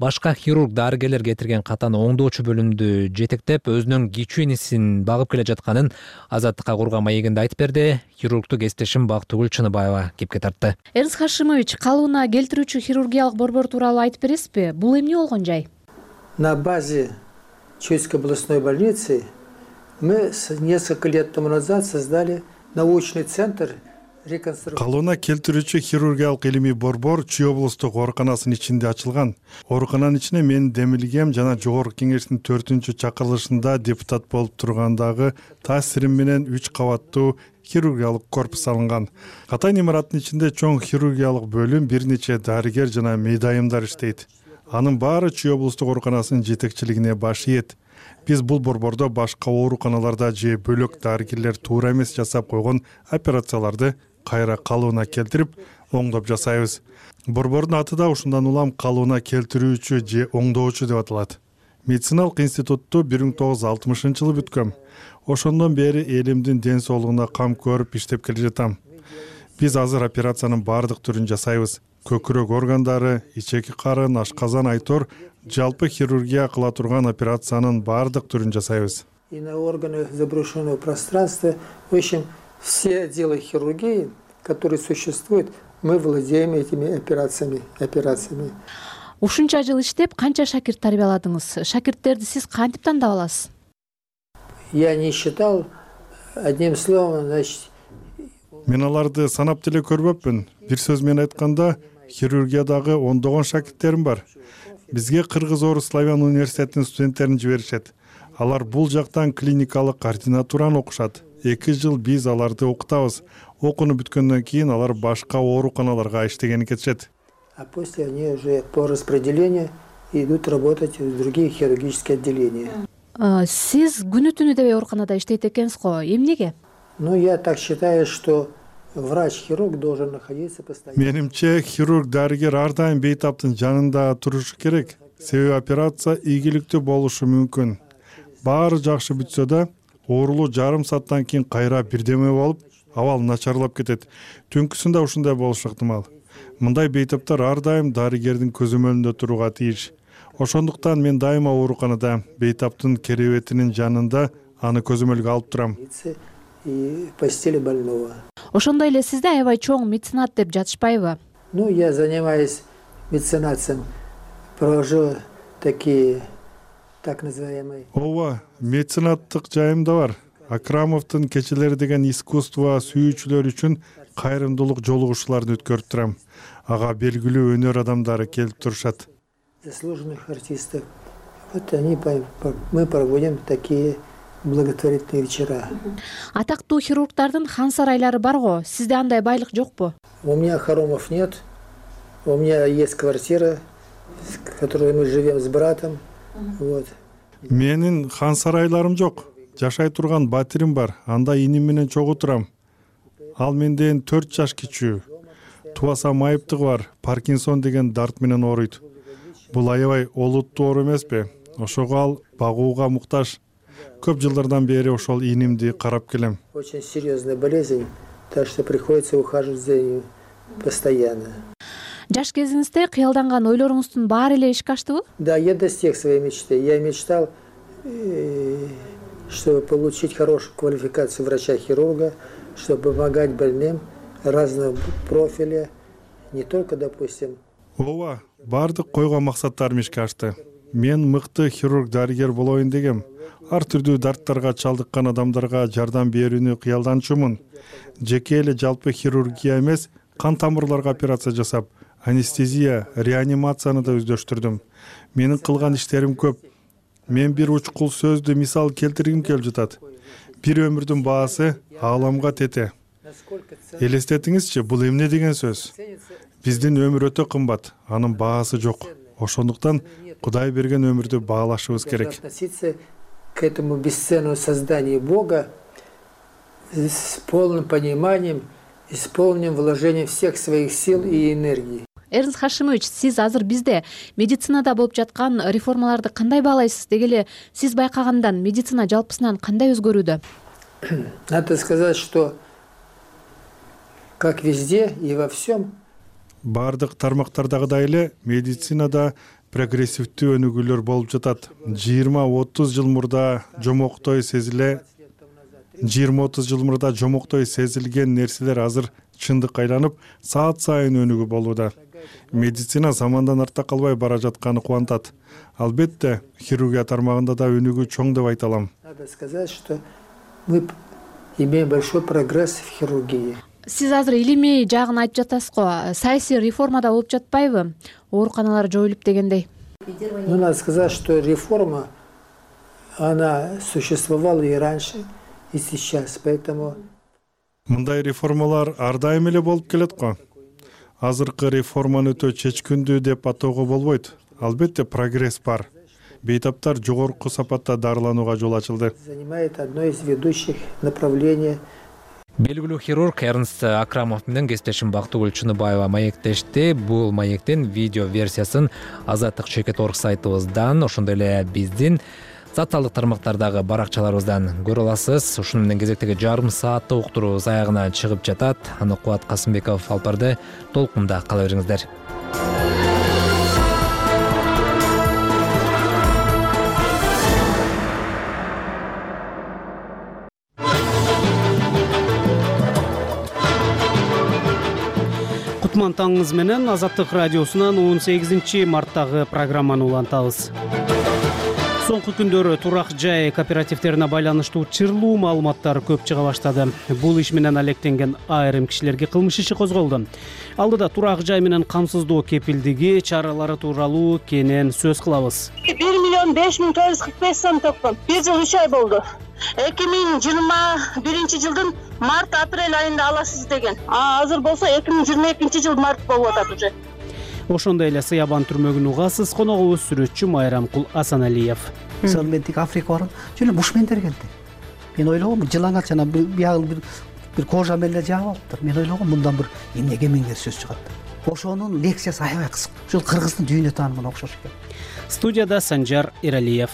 башка хирург дарыгерлер кетирген катаны оңдоочу бөлүмдү жетектеп, өзүнүн кичүү инисин багып келе жатканын Азаттыкка курган маегинде айтып берди. Хирургтук эстешим Бактыгүл Чыныбаева кепке тартты. Эрнст Хашимович, калыбына келтирүүчү хирургиялык борбор тууралуу айтып бересизби? Бул эмне болгон жай? На базе Чуйской областной больницы мы несколько лет тому назад создали научный центр калыбына келтирүүчү хирургиялык илимий борбор Чүй облустук ооруканасынын ичинде ачылган. Оорукананын ичине мен демилгем жана жогорку кеңештин 4-чакырылышында депутат болуп тургандагы таасирим менен 3 кабаттуу хирургиялык корпус алынган. Катайн имараттын ичинде чоң хирургиялык бөлүм, бир нече дарыгер жана мейдайымдар иштейт. Анын баары Чүй облустук ооруканасынын жетекчилигине баш ийет. Биз бул борбордо башка ооруканаларда же бөлөк дарыгерлер туура эмес жасап койгон операцияларды кайра калыбына келтирип оңдоп жасайбыз. Борбордун аты да ушундан улам калыбына келтирүүчү же оңдоочу деп аталат. Медициналык институтту 1960-жылы бүткөм. Ошондон бери элимдин ден соолугуна кам көрүп иштеп келе жатам. Биз азыр операциянын баардык түрүн жасайбыз. Көкүрөк органдары, ичеки карын, ашказан, айтор, жалпы хирургия кыла турган операциянын баардык түрүн жасайбыз. И на органы заброшенного пространства, в общем, все отделы хирургии, которые существуют, мы владеем этими операциями. Ушунча жыл иштеп, канча шакирт тарбияладыңыз? Шакирттерди сиз кантип тандап аласыз? Я не считал, одним словом, значит... Мен аларды санап деле көрбөпмүн. Бир сөз менен айтканда, хирургиядагы ондогон шакирттерим бар. Бизге Кыргыз-Орус Славян университетинин студенттерин жиберишет. Алар бул жактан клиникалык координатураны окушат. 2 жыл биз аларды окутабыз. Окууну бүткөндөн кийин алар башка ооруканаларга иштегени кетишет. А после они уже по распределению идут работать в другие хирургические отделения. Сиз күнү түнү дебей ооруканада иштейт экенсиз го. Эмнеге? Ну, я так считаю, что врач-хирург должен находиться постоянно. Менимче, хирург-дарыгер ар дайым бейтаптын жанында турушу керек. Себеби операция ийгиликтүү болушу мүмкүн. Баары жакшы бүтсө да, оорулуу жарым сааттан кийин кайра бирдеме болуп, абал начарлап кетет. Түнкүсүндө ушундай болушу ыктымал. Мындай бейтаптар ар дайым дарыгердин көзөмөлүндө турууга тийиш. Ошондуктан мен дайыма ооруканада бейтаптын керебетинин жанында аны көзөмөлгө алып турам. И постели больного. Ошондой эле сизде аябай чоң меценат деп жатышпайбы? Ну, я занимаюсь меценатством, провожу такие так называемые. Ооба, меценаттык жайым да бар. Акрамовдун кечелери деген искусство сүйүүчүлөр үчүн кайрымдуулук жолугушууларын өткөрүп турам. Ага белгилүү өнөр адамдары келип турушат. Заслуженных артистов. Вот мы проводим такие благотворительные вечера. Атактуу хирургдардын хан сарайлары барго, сизде андай байлык жокпу? У меня хоромов нет. У меня есть квартира, в которой мы живем с братом. Вот. Менин хан сарайларым жок. Жашай турган батирим бар. Анда иним менен чогуу турам. Ал менден 4 жаш кичүү. Тубасам айыптыгы бар. Паркинсон деген дарт менен ооруйт. Бул аябай олуттуу оору эмеспи? Ошого ал багууга муктаж. Көп жылдардан бери ошол инимди карап келем. Очень серьезная болезнь, так что приходится ухаживать за ней постоянно. Жаш кезиңизде кыялданган ойлоруңуздун баары эле ишке аштыбы? Да, я достиг своей мечты. Я мечтал, чтобы получить хорошую квалификацию врача-хирурга, чтобы помогать больным разного профиля, не только, допустим. Ооба, баардык койгон максаттарым ишке ашты. Мен мыкты хирург-дарыгер болоюн дегем. Ар түрдүү дарттарга чалдыккан адамдарга жардам берүүнү кыялданчумун. Жеке эле жалпы хирургия эмес, кан тамырларга операция жасап, анестезия, реанимацияны да өздөштүрдүм. Менин кылган иштерим көп. Мен бир учкул сөздү мисал келтиргим келип жатат. Бир өмүрдүн баасы ааламга тете. Элестетиңизчи, бул эмне деген сөз? Биздин өмүр өтө кымбат, анын баасы жок. Ошондуктан Кудай берген өмүрдү баалашыбыз керек. Относиться к этому бесценному созданию Бога с полным пониманием и с полным вложением всех своих сил и энергии. Эрнст Хашимович, сиз азыр бизде медицинада болуп жаткан реформаларды кандай баалайсыз? Деги эле сиз байкагандан медицина жалпысынан кандай өзгөрүүдө? Надо сказать, что как везде и во всем баардык тармактардагыдай эле медицинада прогрессивдүү өнүгүүлөр болуп жатат. 20-30 жыл мурда жомоктой сезилген нерселер азыр чындыкка айланып, саат сайын өнүгүү болууда. Медицина замандан артта калбай бара жатканы кубантат. Албетте, хирургия тармагында да өнүгүү чоң деп айта алам. Надо сказать, что мы имеем большой прогресс в хирургии. Сиз азыр илимий жагын айтып жатасыз го. Саясий реформада болуп жатпайбы? Ооруканалар жоюлуп дегендей. Ну, надо сказать, что реформа, она существовала и раньше, и сейчас, поэтому... Мындай реформалар ар дайым эле болуп келет го. Азыркы реформаны өтө чечкиндүү деп атоого болбойт. Албетте прогресс бар. Бейтаптар жогорку сапатта дарыланууга жол ачылды. Занимает одно из ведущих направлений Белгилүү хирург Эрнст Акрамов менен кесиптешим Бактыгүл Чыныбаева маектешти. Бул маектин видео версиясын Азаттык чекит орг сайтыбыздан, ошондой эле биздин социалдык тармактардагы баракчаларыбыздан көрө аласыз. Ушуну менен кезектеги жарым сааттык уктуруубуз аягына чыгып жатат. Аны Кубат Касымбеков алып барды. Толкунда кала бериңиздер. Кутман таңыңыз менен Азаттык радиосунан 18 марттагы программаны улантабыз. Соңку күндөрү турак жай кооперативтерине байланыштуу чырлуу маалыматтар көп чыга баштады. Бул иш менен алектенген айрым кишилерге кылмыш иши козголду. Алдыда турак жай менен камсыздоо кепилдиги чаралары тууралуу кенен сөз кылабыз. 1,05,445 сом топтом. 1 жыл 3 ай болду. 2021 жылдын март-апрель айында аласыз деген. Азыр болсо 2022 жыл март болуп атат уже. Ошондой эле Сыябан түрмөгүн угасыз. Коногубуз сүрөтчү Майрамкул Асаналиев. Мисалы мен тик Африка баргам, жөн бушмендер келди. Мен ойлогом, жылаңач жана биягыл бир кожа менен жаап алыптыр. Мен ойлогом, мындан бир эмнеге миңдер сөз чыгат. Ошонун лекциясы аябай кыск. Ушул кыргыздын дүйнө таанымына окшош экен. Студияда Санжар Эралиев.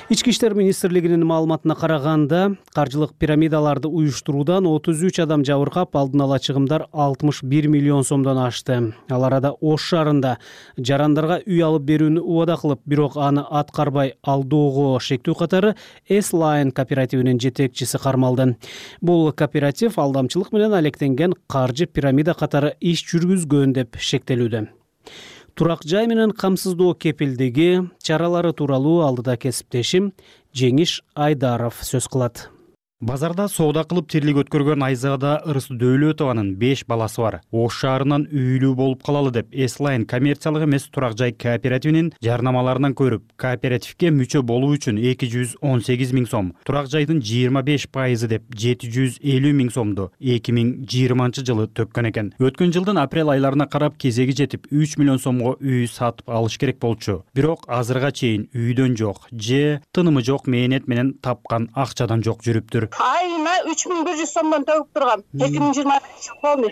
Ички иштер министрлигинин маалыматына караганда, каржылык пирамидаларды уюштуруудан 33 адам жабыркап, алдын ала чыгымдар 61 миллион сомдон ашты. Ал арада Ош шаарында жарандарга үй алып берүүнү убада кылып, бирок аны аткарбай алдоого шектүү катары S-Line кооперативинин жетекчиси кармалды. Бул кооператив алдамчылык менен алектенген каржы пирамида катары иш жүргүзгөн деп шектелүүдө. Турак жай менен камсыздоо кепилдиги чаралары тууралуу алдыда кесиптешим Жеңиш Айдаров сөз кылат. Базарда соода кылып тирлик өткөргөн Айзада Ырыс Дөөлөтованын 5 баласы бар. Ош шаарынан үйлүү болуп калалы деп S-Line коммерциялык эмес турак жай кооперативинин жарнамаларынан көрүп, кооперативге мүчө болуу үчүн 218 миң сом, турак жайдын 25% деп 750 миң сомду 2020 жылы төккөн экен. Өткөн жылдын апрель айларына карап кезеги жетип 3 миллион сомго үй сатып алыш керек болчу. Бирок азырга чейин үйдөн жок, же тынымы жок мээнет менен тапкан акчадан жок жүрүптүр. Айына 3100 сомдон төгүп тургам. 2020 болду.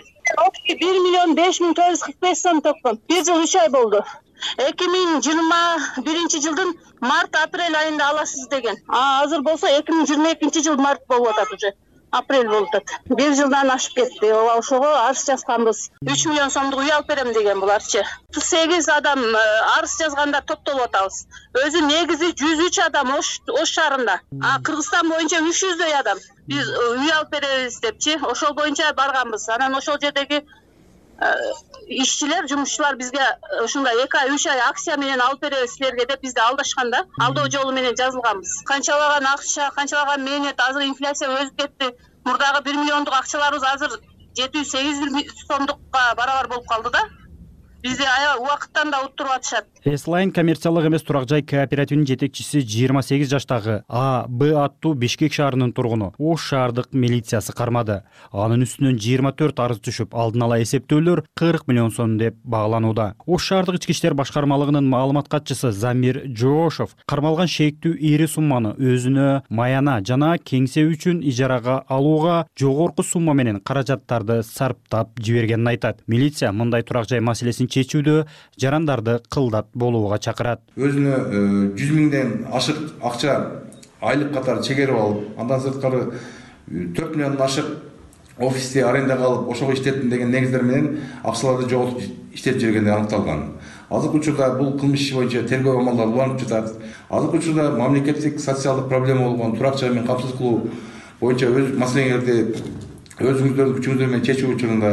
1,05,445 сом топтом. 1 жыл 3 ай болду. 2021 жылдын март-апрель айында аласыз деген. Азыр болсо 2022 жыл март болуп атат уже. Апрель болуп атат. 1 жылдан ашып кетти. Ошого арыз жазганбыз. 3 миллион сомдук үй алып берем деген буларчы. 8 адам арыз жазганда топтолуп атабыз. Өзү негизи 103 адам Ош шаарында. Кыргызстан боюнча 300дөй адам. Биз үй алып беребиз депчи, ошол боюнча барганбыз. Анан ошол жердеги ишчилер, жумушчулар бизге ушундай 2 ай 3 ай акция менен алып беребиз силерге деп бизди алдашканда, алдоо жолу менен жазылганбыз. Канчалаган акча, канчалаган мээнет, азыр инфляция өсүп кетти. Мурдагы 1 миллиондук акчаларыбыз азыр 700-800 сомдукка барабар болуп калды да. Бизди аябай убакыттан да уттуруп атышат. S-Line коммерциялык эмес турак жай кооперативинин жетекчиси 28 жаштагы А.Б. аттуу Бишкек шаарынын тургуну Ош шаардык милициясы кармады. Анын үстүнөн 24 арыз түшүп, алдын ала эсептөөлөр 40 миллион сом деп багланууда. Ош шаардык ички иштер башкармалыгынын маалымат катчысы Замир Жоошов кармалган шектүү ири сумманы өзүнө маяна жана кеңсе үчүн ижарага алууга жогорку сумма менен каражаттарды сарптап жибергенин айтат. Милиция мындай турак жай маселесин чечүүдө жарандарды кылдат болууга чакырат. Өзүнө 100 миңден ашык акча айлык катары чегерип алып, андан сырткары 4 миллиондон ашык офисте арендага алып, ошого иштеттим деген негиздер менен акчаларды жоготуп иштетип жүргени аныкталган. Азыркы учурда бул кылмыш иши боюнча тергөө амалдары уланып жатат. Азыркы учурда мамлекеттик социалдык проблема болгон турак жай менен камсыз кылуу боюнча өз маселеңерди өзүңүздөрдүн күчүңүздөр менен чечүү учурунда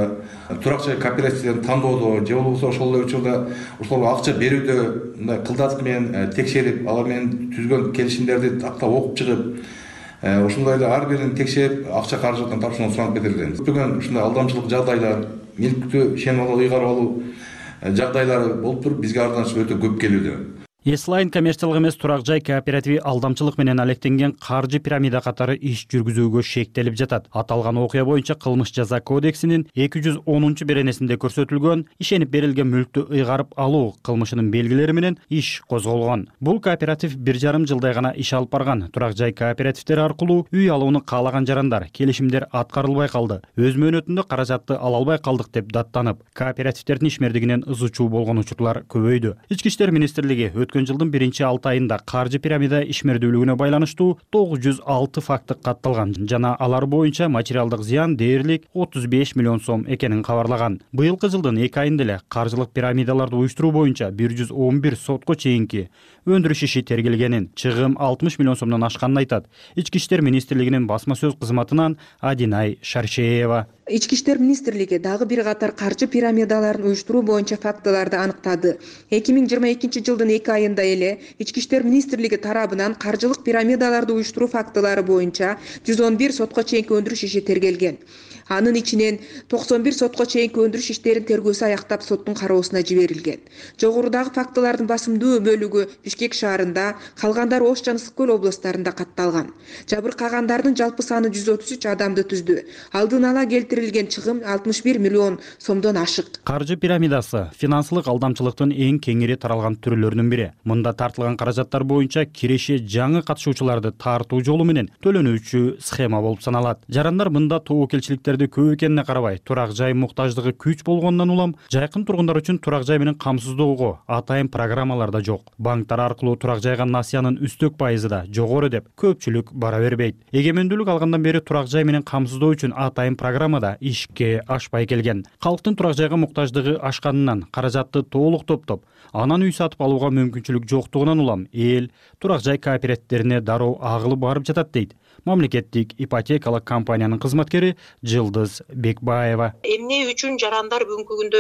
турак жай кооперативдерин тандоодо же болбосо ошол эле учурда ошолорго акча берүүдө мындай кылдат менен текшерип, алар менен түзгөн келишимдерди тактап окуп чыгып, ошондой эле ар бирин текшерип акча каражаттан тапшырууну суранып кетирген. Көптөгөн ушундай алдамчылык жагдайлар, мүлктү ишенип алуу, ыйгарып алуу жагдайлары болуп туруп, бизге арызданышып өтө көп келүүдө. Эслайн коммерциялык эмес турак жай кооперативи алдамчылык менен алектенген каржы пирамида катары иш жүргүзүүгө шектелип жатат. Аталган окуя боюнча кылмыш жаза кодексинин 210-беренесинде көрсөтүлгөн ишенип берилген мүлктү ыйгарып алуу кылмышынын белгилери менен иш козголгон. Бул кооператив 1,5 жылдай гана иш алып барган. Турак жай кооперативдери аркылуу үй алууну каалаган жарандар келишимдер аткарылбай калды. Өз мөөнөтүндө каражатты ала албай калдык деп даттанып, кооперативдердин ишмердигинен ызы-чуу болгон учурлар көбөйдү. Ички иштер министрлиги өткөн жылдын 1-6 айында каржы пирамида ишмердүүлүгүнө байланыштуу 906 факты катталган жана алар боюнча материалдык зыян дээрлик 35 миллион сом экенин кабарлаган. Быйылкы жылдын 2 айында эле каржылык пирамидаларды уюштуруу боюнча 111 сотко чейинки өндүрүш иши тергелгенин, чыгым 60 миллион сомдон ашканын айтат. Ички иштер министрлигинин басма сөз кызматынан Адинай Шаршеева. Ички иштер министрлиги дагы бир катар каржы пирамидаларын уюштуруу боюнча фактыларды аныктады. 2022 жылдын 2 айында эле Ички иштер министрлиги тарабынан каржылык пирамидаларды уюштуруу фактылары боюнча 111 сотко чейинки өндүрүш иши тергелген. Анын ичинен 91 сотко чейинки өндүрүш иштерин тергөөсү аяктап соттун кароосуна жиберилген. Жогорудагы фактылардын басымдуу бөлүгү Бишкек шаарында, калгандары Ош жана Ысык көл областарында катталган. Жабыркагандардын жалпы саны 133 адамды түздү. Алдын ала келтирилген чыгым 61 миллион сомдон ашык. Каржы пирамидасы финансылык алдамчылыктын эң кеңири таралган түрлөрүнүн бири. Мында тартылган каражаттар боюнча киреше жаңы катышуучуларды тартуу жолу менен төлөнүүчү схема болуп саналат. Жарандар мында тобокелчиликтерди көп экенине карабай, турак жай муктаждыгы күч болгондон улам жайкын тургундар үчүн турак жай менен камсыздоого атайын программалар да жок. Банктар аркылуу турак жайга насыянын үстөк пайызы да жогору деп көпчүлүк бара бербейт. Эгемендүүлүк алгандан бери турак жай менен камсыздоо үчүн атайын программа да ишке ашпай келген. Калктын турак жайга муктаждыгы ашканынан каражатты толук топтоп, анан үй сатып алууга мүмкүнчүлүк жоктугунан улам эл турак жай кооперативдерине дароо агылып барып жатат дейт мамлекеттик ипотекалык компаниянын кызматкери Жылдыз Бекбаева. Эмне үчүн жарандар бүгүнкү күндө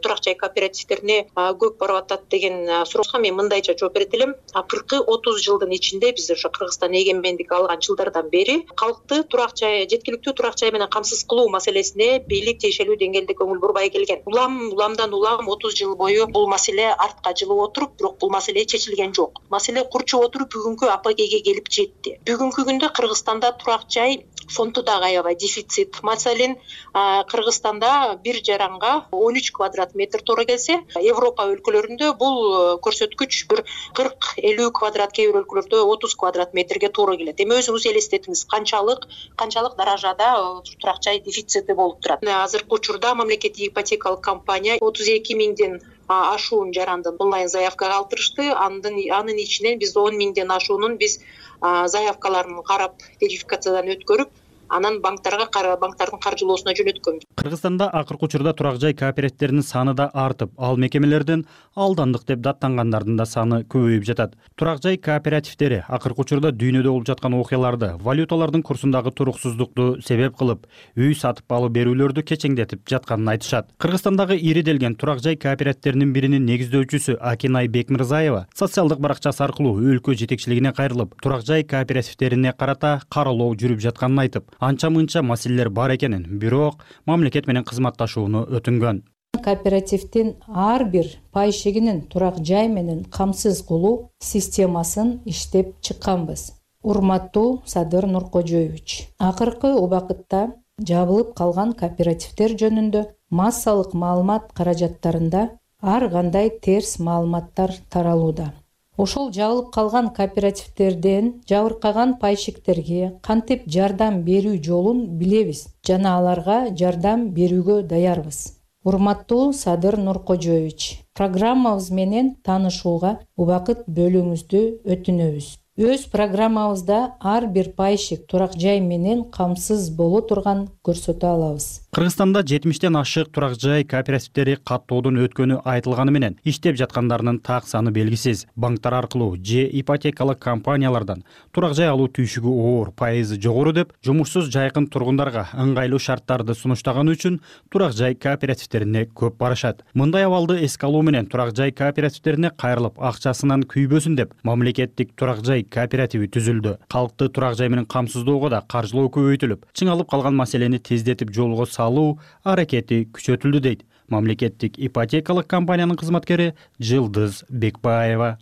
турак жай кооперативдерине көп барып атат деген сурооско мен мындайча жооп берет элем. Акыркы 30 жылдын ичинде биз ошо Кыргызстан эгемендик алган жылдардан бери калкты турак жай, жеткиликтүү турак жай менен камсыз кылуу маселесине бийлик тиешелүү деңгээлде көңүл бурбай келген. Уламдан улам 30 жыл бою бул маселе артка жылып отуруп, бирок бул маселе чечилген жок. Маселе курчуп отуруп бүгүнкү апогейге келип жетти. Бүгүнкү күндө Кыргызстанда турак жай фонду дагы аябай дефицит. Маселен, Кыргызстанда бир жаранга 13 квадрат метр туура келсе, Европа өлкөлөрүндө бул көрсөткүч бир 40-50 квадрат, кээ бир өлкөлөрдө 30 квадрат метрге туура келет. Эми өзүңүз элестетиңиз, канчалык даражада турак жай дефицити болуп турат. Азыркы учурда мамлекеттик ипотекалык компания 32 миңден ашуун жарандын онлайн заявкага калтырышты. Анын ичинен биз 10 миңден ашуунун биз заявкаларын карап, верификациядан өткөрүп, анан банктардын каржылоосуна жөнөткөнбүз. Кыргызстанда акыркы учурда турак жай кооперативдеринин саны да артып, ал мекемелерден алдандык деп даттангандардын да саны көбөйүп жатат. Турак жай кооперативдери акыркы учурда дүйнөдө болуп жаткан окуяларды, валюталардын курсундагы туруксуздукту себеп кылып, үй сатып алып берүүлөрдү кечеңдетип жатканын айтышат. Кыргызстандагы ириделген турак жай кооперативдеринин биринин негиздөөчүсү Акинай Бекмирзаева социалдык баракчасы аркылуу өлкө жетекчилигине кайрылып, турак жай кооперативдерине карата каралоо жүрүп жатканын айтып, анча-мынча маселелер бар экенин, бирок мамлекет менен кызматташууну өтүнгөн. Кооперативдин ар бир пайшыгинин турак жай менен камсыз кылуу системасын иштеп чыкканбыз. Урматтуу Садыр Нуркожоевич, акыркы убакытта жабылып калган кооперативдер жөнүндө массалык маалымат каражаттарында ар кандай терс маалыматтар таралууда. Ошол жабылып калган кооперативдерден жабыркаган пайшиктерге кантип жардам берүү жолун билебиз жана аларга жардам берүүгө даярбыз. Урматтуу Садыр Нуркожоевич, программабыз менен таанышууга убакыт бөлүүңүздү өтүнөбүз. Өз программабызда ар бир пайшык турак жай менен камсыз боло турган көрсөтө алабыз. Кыргызстанда 70тен ашык турак жай кооперативдери каттоодон өткөнү айтылганы менен иштеп жаткандарынын так саны белгисиз. Банктар аркылуу же ипотекалык компаниялардан турак жай алуу түйшүгү оор, пайызы жогору деп жумушсуз жайкын тургундарга ыңгайлуу шарттарды сунуштаганы үчүн турак жай кооперативдерине көп барышат. Мындай абалды эске алуу менен турак жай кооперативдерине кайрылып акчасынан күйбөсүн деп мамлекеттик турак жай кооперативи түзүлдү. Калкты турак жай менен камсыздоого да каржылоо көбөйтүлүп, чыңалып калган маселени тездетип жолго салуу аракети күчөтүлдү дейт мамлекеттик ипотекалык компаниянын кызматкери Жылдыз Бекбаева.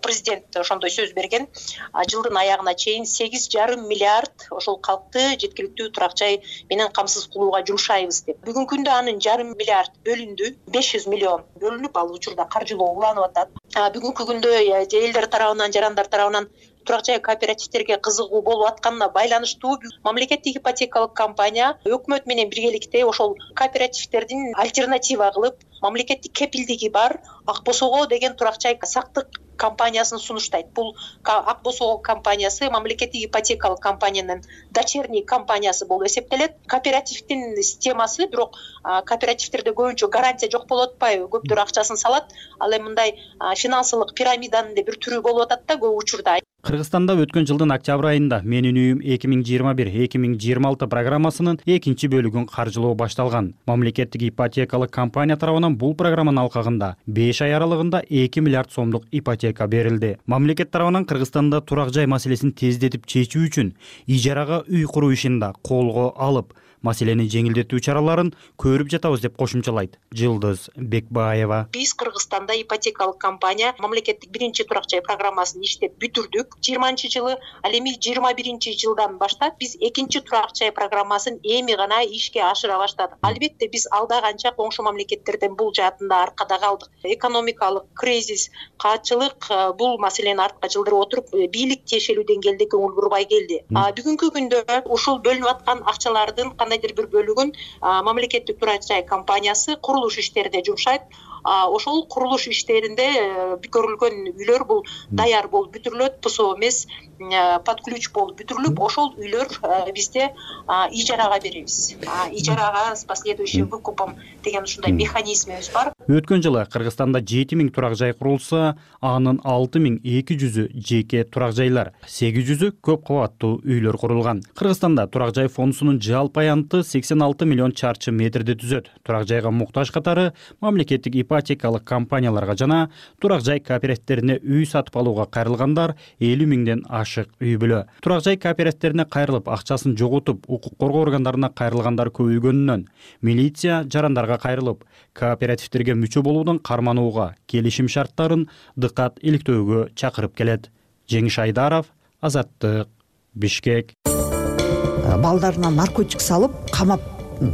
президент ошондой сөз берген. Жылдын аягына чейин 8,5 миллиард ошол калкты жеткиликтүү турак жай менен камсыз кылууга жумшайбыз деп. Бүгүнкү күндө анын 1,5 миллиард бөлүндү. 500 миллион бөлүнүп ал учурда каржылоо уланып атат. Бүгүнкү күндө элдер тарабынан, жарандар тарабынан турак жай кооперативтерге кызыгуу болуп атканына байланыштуу мамлекеттик ипотекалык компания өкмөт менен биргеликте ошол кооперативтердин альтернатива кылып мамлекеттик кепилдиги бар Ак Босого деген турак жай сактык компаниясын сунуштайт. Бул Ак Босого компаниясы мамлекеттик ипотекалык компаниянын дочерний компаниясы болуп эсептелет. Кооперативдин системасы бирок кооперативтерде көбүнчө гарантия жок болуп атпайбы? Көптөр акчасын салат, ал эми мындай финансылык пирамиданын бир түрү болуп атат да көп учурда. Кыргызстанда өткөн жылдын октябрь айында Менин үйүм 2021-2026 программасынын экинчи бөлүгүн каржылоо башталган. Мамлекеттик ипотекалык компания тарабынан бул программанын алкагында 5 ай аралыгында 2 миллиард сомдук ипотека берилди. Мамлекет тарабынан Кыргызстанда турак жай маселесин тездетип чечүү үчүн ижарага үй куруу ишин да колго алып, маселени жеңилдетүү чараларын көрүп жатабыз деп кошумчалайт Жылдыз Бекбаева. Биз Кыргызстанда ипотекалык компания мамлекеттик биринчи турак жай программасын иштеп бүтүрдүк 20-жылы, ал эми 21-жылдан баштап биз экинчи турак жай программасын эми гана ишке ашыра баштадык. Албетте биз алда канча коңшу мамлекеттерден бул жаатында аркада калдык. Экономикалык кризис, каатчылык бул маселени артка жылдырып отуруп, бийлик тиешелүү деңгээлде көңүл бурбай келди. Бүгүнкү күндө ушул бөлүнүп аткан акчалардын бир бөлүгүн мамлекеттик турак жай компаниясы курулуш иштерине жумшайт. Ошол курулуш иштеринде көрүлгөн үйлөр бул даяр болуп бүтүрүлөт, ПСО эмес, под ключ болуп бүтүрүлүп, ошол үйлөр бизде ижарага беребиз. Ижарага с последующим выкупом деген ушундай механизмибиз бар. Өткөн жылы Кыргызстанда 7000 турак жай курулса, анын 6200-ü жеке турак жайлар, 800-ü көп кабаттуу үйлөр курулган. Кыргызстанда турак жай фондусунун жалпы аянты 86 миллион чарчы метрди түзөт. Турак жайга муктаж катары мамлекеттик ипотекалык компанияларга жана турак жай кооперативтерине үй сатып алууга кайрылгандар 50 миңден ашык үй бүлө. Турак жай кооперативтерине кайрылып, акчасын жоготуп, укук коргоо органдарына кайрылгандар көбөйгөнүнөн милиция жарандарга кайрылып, кооперативтерге мүчө болуудун карманууга, келишим шарттарын дыкат иликтөөгө чакырып келет. Жеңиш Айдаров, Азаттык, Бишкек. Балдарына наркотик салып, камап,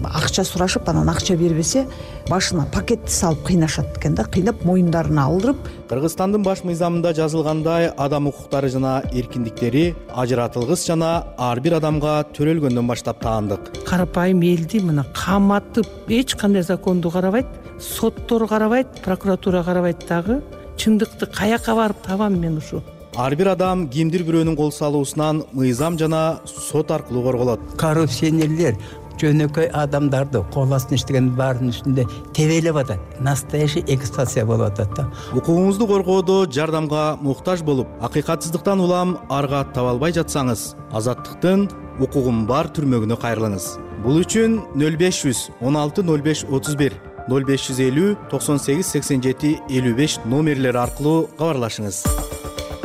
акча сурашып, анан акча бербесе, башына пакетти салып кыйнашат экен да, кыйнап моюндарына алдырып. Кыргызстандын баш мыйзамында жазылгандай, адам укуктары жана эркиндиктери ажыратылгыс жана ар бир адамга төрөлгөндөн баштап таандык. Карапайым элди мына каматып, эч кандай законду карабайт, соттор карабайт, прокуратура карабайт дагы. Чындыкты каяка барып табам мен ушу? Ар бир адам кимдир бирөөнүн кол салуусунан мыйзам жана сот аркылуу корголот. Коррупционерлер жөнөкөй адамдарды кол астына иштеген баарынын үстүндө тебелеп атат. Настоящий эксплуатация болуп атат да. Укугуңузду коргоодо жардамга муктаж болуп, акыйкатсыздыктан улам арга таба албай жатсаңыз, Азаттыктын укугум бар түрмөгүнө кайрылыңыз. Бул үчүн 0500 16 05 31 0550 98 87 55 номерлери аркылуу кабарлашыңыз.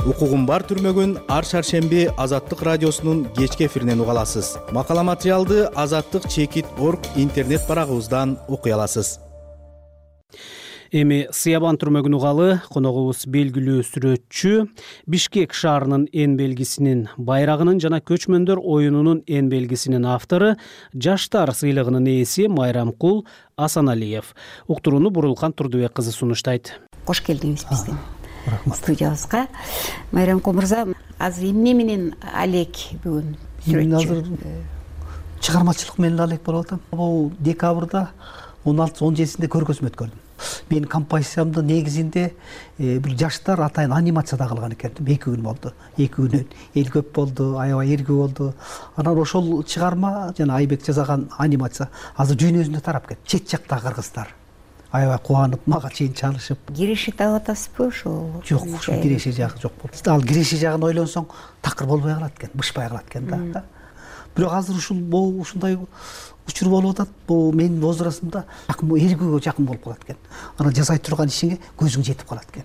Укугум бар түрмөгүн ар шаршемби Азаттык радиосунун кечки эфиринен уга аласыз. Макала материалды azattik.org интернет барагыбыздан окуй аласыз. Эми Сыябан түрмөгүн угалы коногубуз белгилүү сүрөтчү, Бишкек шаарынын эн белгисинин, байрагынын жана көчмөндөр оюнунун эн белгисинин автору, Жаштар сыйлыгынын ээси Майрамкул Асаналиев. Уктурууну Бурулкан Турдубек кызы сунуштайт. Кош келдиңиз биздин студиябызга. Майрамкул мырза, азыр эмне менен алек бүгүн сүрөтчү? Азыр чыгармачылык менен алек болуп атам. Бул декабрда 16-17-синде көргөзмө өткөрдүм. Менин композициямды негизинде бир жаштар атайын анимацияда кылган экен. 2 күн болду. 2 күнөн эл көп болду, аябай эргүү болду. Анан ошол чыгарма жана Айбек жасаган анимация азыр дүйнө тарап кетти. Чет жакта кыргыздар аябай кубанып, мага чейин чалышып. Киреши таап атасызбы ошол? Жок, ошол киреши жагы жок болду. Ал киреши жагын ойлонсоң, такыр болбой калат экен, бышпай калат экен да. Бирок азыр ушундай учур болуп атат. Бул менин возрастымда эргүүгө жакын болуп калат экен. Анан жасай турган ишиңе көзүң жетип калат экен.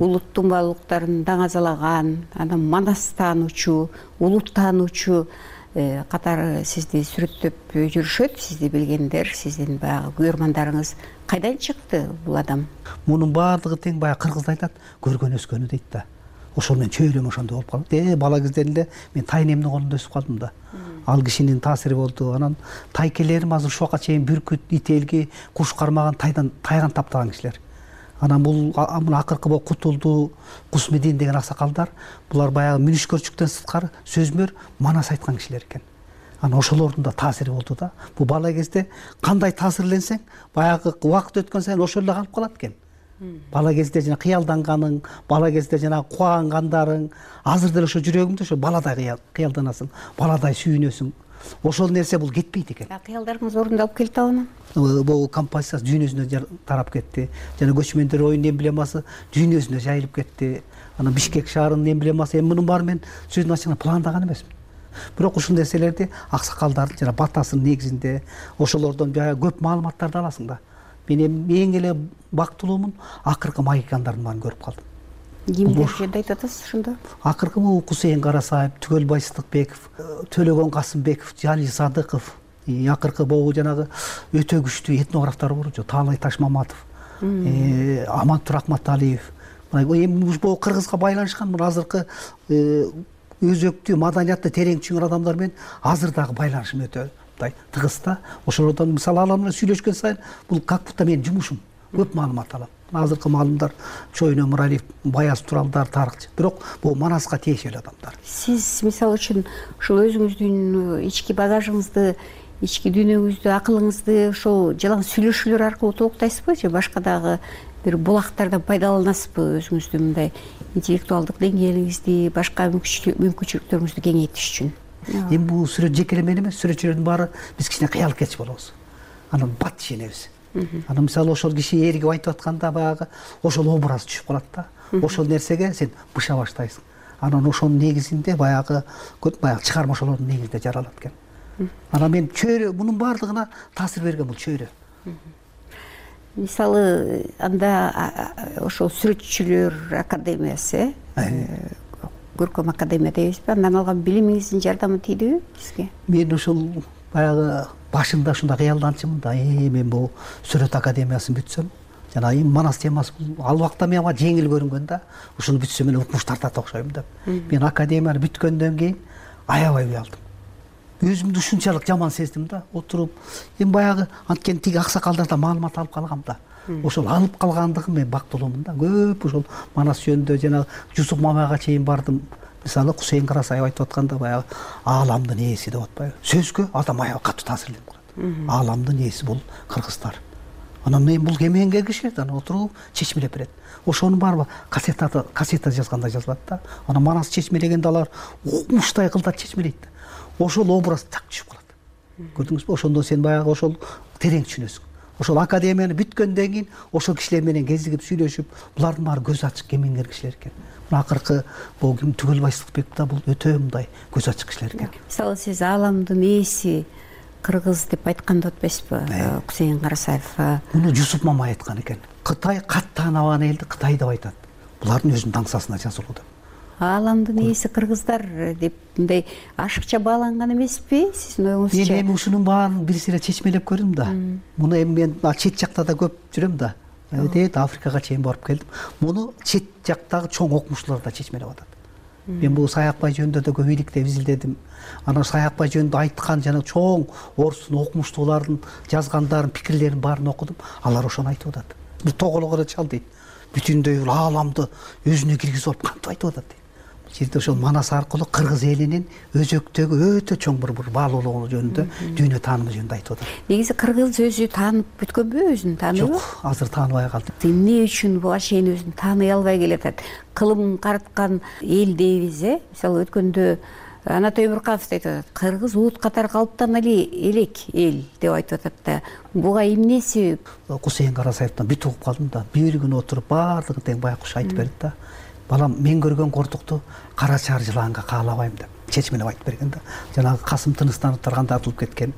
Улуттун баалуулуктарын даңазалаган, анан манас таануучу, улут таануучу катары сизди сүрөттөп жүрүшөт. Сизди билгендер, сиздин баягы күйөрмандарыңыз кайдан чыкты бул адам? Мунун баардыгы тең баягы кыргызда айтат, көргөн өскөнү дейт да. ошол менен чөйрөм ошондой болуп калат. Бала кезден эле мен тайнемдин колунда өсүп калдым да. Ал кишинин таасири болду. Анан тайкелерим азыр ушуга чейин бүркүт, ителги, куш кармаган тайган таптаган кишилер. Анан бул акыркы Кутулду, Кусмедин деген аксакалдар, булар баягы мүнүшкөрчүктөн сырткары сөзмөр манас айткан кишилер экен. Анан ошолордун да таасири болду да. Бул бала кезде кандай таасирленсең, баягы убакыт өткөн сайын ошол эле калып калат экен. Бала кезде жана кыялданганың, бала кезде жана кубангандарың, азыр деле ошо жүрөгүңдө ошо баладай кыялданасың, баладай сүйүнөсүң. Ошол нерсе бул кетпейт экен. Кыялдарыңыз орундалып келди анан? Бул композиция дүйнө жүзүнө тарап кетти. Жана көчмөндөр оюнун эмблемасы дүйнө жүзүнө жайылып кетти. Анан Бишкек шаарынын эмблемасы, мунун баары мен сөзүн ачыгына пландаган эмесмин. Бирок ушул нерселерди аксакалдардын жана батасынын негизинде ошолордон баягы көп маалыматтарды аласың да. Мен эң эле бактылуумун акыркы магикандардын баарын көрүп калдым. Кимдерди айтып атасыз ошондо? Акыркы бул Кусейин Карасаев, Түгөлбай Сыдыкбеков, Төлөгөн Касымбеков, Жали Садыков, акыркы бул жанагы өтө күчтүү этнографтар бар, Таалай Ташмаматов, Амантур Акматалиев. Эми бул кыргызга байланышкан азыркы өзөктүү маданиятты терең түшүнгөн адамдар менен азыр дагы байланышым өтө тыгыз да. Ошолордон мисалы алар менен сүйлөшкөн сайын бул как будто менин жумушум. Көп маалымат алам. Азыркы маалымдар Чойно Муралиев, Баяз Туралдар, тарыхчы. Бирок бул Манаска тиешелүү адамдар. Сиз мисалы үчүн ушул өзүңүздүн ички багажыңызды, ички дүйнөңүздү, акылыңызды ошол жалаң сүйлөшүүлөр аркылуу толуктайсызбы же башка дагы бир булактардан пайдаланасызбы өзүңүздүн мындай интеллектуалдык деңгээлиңизди, башка мүмкүнчүлүктөрүңүздү кеңейтиш үчүн? Эми бул сүрөт жеке эле мен эмес, сүрөтчүлөрдүн баары биз кичине кыял кетчи болобуз. Анан бат ишенебиз. Анан мисалы ошол киши эргип айтып атканда баягы ошол образ түшүп калат да. Ошол нерсеге сен быша баштайсың. Анан ошонун негизинде баягы чыгарма ошолордун негизинде жаралат экен. Анан мен чөйрө мунун баардыгына таасир берген бул чөйрө. Мисалы анда ошол сүрөтчүлөр академиясы, көркөм академия дейбизби? Андан алган билимиңиздин жардамы тийдиби сизге? Мен ошол баягы башында ушундай кыялданчымын да, мен бул сүрөт академиясын бүтсөм, жана Манас темасы ал убакта мага жеңил көрүнгөн да, ушуну бүтсөм эле укмуш тартат окшойм деп. Мен академияны бүткөндөн кийин аябай уялдым. Өзүмдү ушунчалык жаман сездим да, отуруп. Эми баягы анткени тиги аксакалдардан маалымат алып калгам да. Ошол алып калгандыгым мен бактылуумун да. Көп ошол Манас жөнүндө жана Жусуп Мамайга чейин бардым. Мисалы Кусейин Карасаев айтып атканда баягы ааламдын ээси деп атпайбы? Сөзгө адам аябай катуу таасирленип калат. Ааламдын ээси бул кыргыздар. Анан мен бул кемеңгер кишилерди анан отуруп чечмелеп берет. Ошонун баары кассета жазганда жазылат да. Анан Манас чечмелегенде алар укмуштай кылдат чечмелейт да. Ошол образ так түшүп калат. Көрдүңүзбү? Ошондон сен баягы ошол терең түшүнөсүң. Ошол академияны бүткөндөн кийин ошол кишилер менен кезигип сүйлөшүп, булардын баары көз ачык кемеңгер кишилер экен. Акыркы бул ким Түгөлбай Сыдыкбеков да бул өтө мындай көз ачык кишилер экен. Мисалы сиз ааламдын ээси кыргыз деп айтканды атпайсызбы Кусейин Карасаев? Муну Жусуп Мамай айткан экен. Кытай кат таанабаган элди Кытай деп айтат. Булардын өзүнүн таңсасына жазылуу деп. Ааламдын ээси кыргыздар деп мындай ашыкча бааланган эмеспи сиздин оюңузча? Мен эми ушунун баарын бир сыйра чечмелеп көрдүм да. Муну эми мен чет жакта да көп жүрөм да. Африкага чейин барып келдим. Муну чет жактагы чоң окумуштуулар да чечмелеп атат. Мен бул Саякбай жөнүндө да көп иликтеп изилдедим. Анан Саякбай жөнүндө айткан жана чоң орустун окумуштуулардын жазгандарын, пикирлерин баарын окудум. Алар ошону айтып атат. Бир тоголого чал дейт. Бүтүндөй ааламды өзүнө киргизип алып кантип айтып атат дейт. Жерде ошол Манас аркылуу кыргыз элинин өзөктөгү өтө чоң бир баалуулугу жөнүндө, дүйнө таанымы жөнүндө айтып атат. Негизи кыргыз өзү таанып бүткөнбү, өзүн тааныбы? Жок, азыр тааныбай калды. Эмне үчүн буга чейин өзүн тааный албай келатат? Кылым караткан эл дейбиз, Мисалы өткөндө Анатолий Муркаев айтып атат, кыргыз уут катары калыптан элек эл деп айтып атат да. Буга эмне себеп? Кусейин Карасаевден бүт угуп калдым да. Бир күн отуруп баардыгын тең байкуш айтып берди да. Балам, мен көргөн кордукту кара чаар жылаанга каалабайм деп чечмелеп айтып берген да. Жанагы Касым Тыныстановдор кандай атылып кеткен,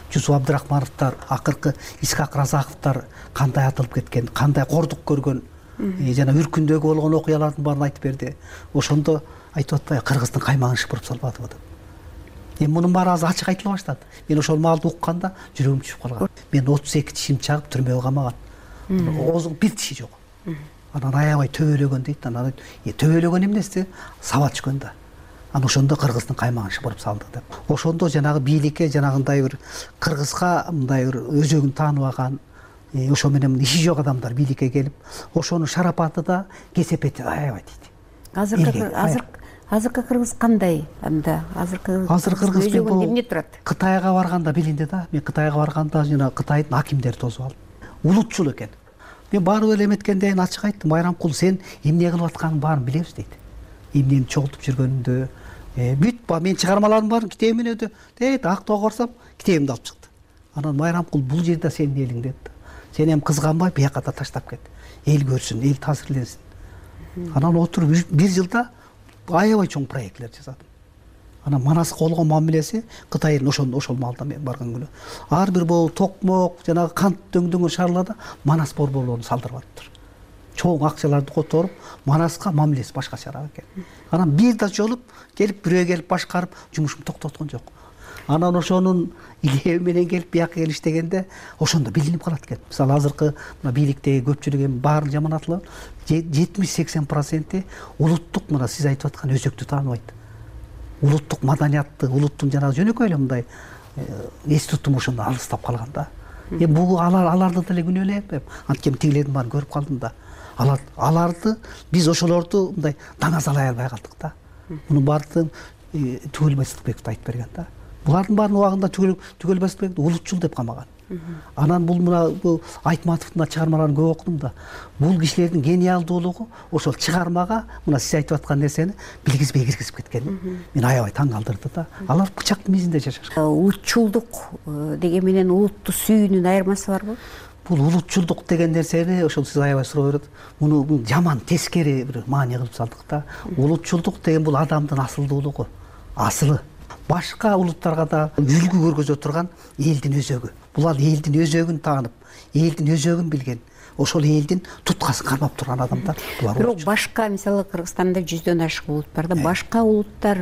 Жусуп Абдрахмановдор, акыркы Исхак Разаковдор кандай атылып кеткен, кандай кордук көргөн, жана Үркүндөгү болгон окуялардын баарын айтып берди. Ошондо айтып атпайбы, кыргыздын каймагын шыпырып салбадыбы деп. Эми мунун баары азыр ачык айтыла баштады. Мен ошол маалды укканда жүрөгүм түшүп калган. Мен 32 тишим чагып түрмөгө камаган. Оозуң бир тиши жок. анан аябай төбөлөгөн дейт. Анан төбөлөгөн эмнеси? Саба түшкөн да. Анан ошондо Кыргыздын каймагын шыпырып салды деп. Ошондо жанагы бийликке жанагындай бир Кыргызга мындай бир өзөгүн тааныбаган, ошо менен иши жок адамдар бийликке келип, ошонун шарапаты да кесепети аябай дейт. Азыркы Кыргыз кандай анда? Азыркы Кыргыз эмне турат? Кытайга барганда билинди да. Мен Кытайга барганда жана Кытайдын акимдери тосуп алдым. Улутчул экен. Мен барып эле эметкенден ачык айттым, Байрамкул, сен эмне кылып атканын баарын билебиз дейт. Эмнени чогултуп жүргөнүндө, бүт мен чыгармалардын баарын китебимен өтө дейт, актоого барсам китебимди алып чыкты. Анан Байрамкул, бул жерде сенин элиң деді. Сен эми кызганбай бияка да таштап кет. Эл көрсүн, эл таасирленсин. Анан отуруп бир жылда аябай чоң проектлер жасадым. Анан Манаска болгон мамилеси Кытайдын ошол маалда мен барган күнү. Ар бир бул токмок, жанагы кант дөңдөгөн шаарларда Манас борборлорун салдырып атыптыр. Чоң акчаларды которуп, Манаска мамилеси башкачараак экен. Анан бир да жолуп келип бирөө келип башкарып жумушун токтоткон жок. Анан ошонун илеби менен келип бияка келиштегенде ошондо билинип калат экен. Мисалы азыркы мына бийликтеги көпчүлүк эми баарын жаман атылат, 70-80% улуттук, мына сиз айтып аткан өзөктү тааныбайт. Улуттук маданиятты, улуттун жанагы жөнөкөй эле мындай эс тутум ошондо алыстап калган да. Бул аларды деле күнөөлөп, анткени тигилердин баарын көрүп калдым да. Аларды биз ошолорду мындай даңазалай албай калдык да. Мунун баардыгын Түгөл Байсалбеков айтып берген да. Булардын баарын убагында Түгөл Байсалбеков улутчул деп камаган. Анан бул Айтматовдун чыгармаларын көп окудум да. Бул кишилердин гениалдуулугу ошол чыгармага мына сиз айтып аткан нерсени билгизбей киргизип кеткен. Мен аябай таң калтырды да. Алар бычактын мизинде жашашкан. Улутчулдук деген менен улутту сүйүүнүн айырмасы барбы? Бул улутчулдук деген нерсени ошол сиз аябай суроо берет. Муну жаман тескери бир маани кылып салдык да. Улутчулдук деген бул адамдын асылдуулугу, асылы. Башка улуттарга да үлгү көргөзө турган элдин өзөгү. Булар элдин өзөгүн таанып, элдин өзөгүн билген, ошол элдин туткасын кармап турган адамдар. Бирок башка, мисалы Кыргызстанда 100дөн ашык улут бар да, башка улуттар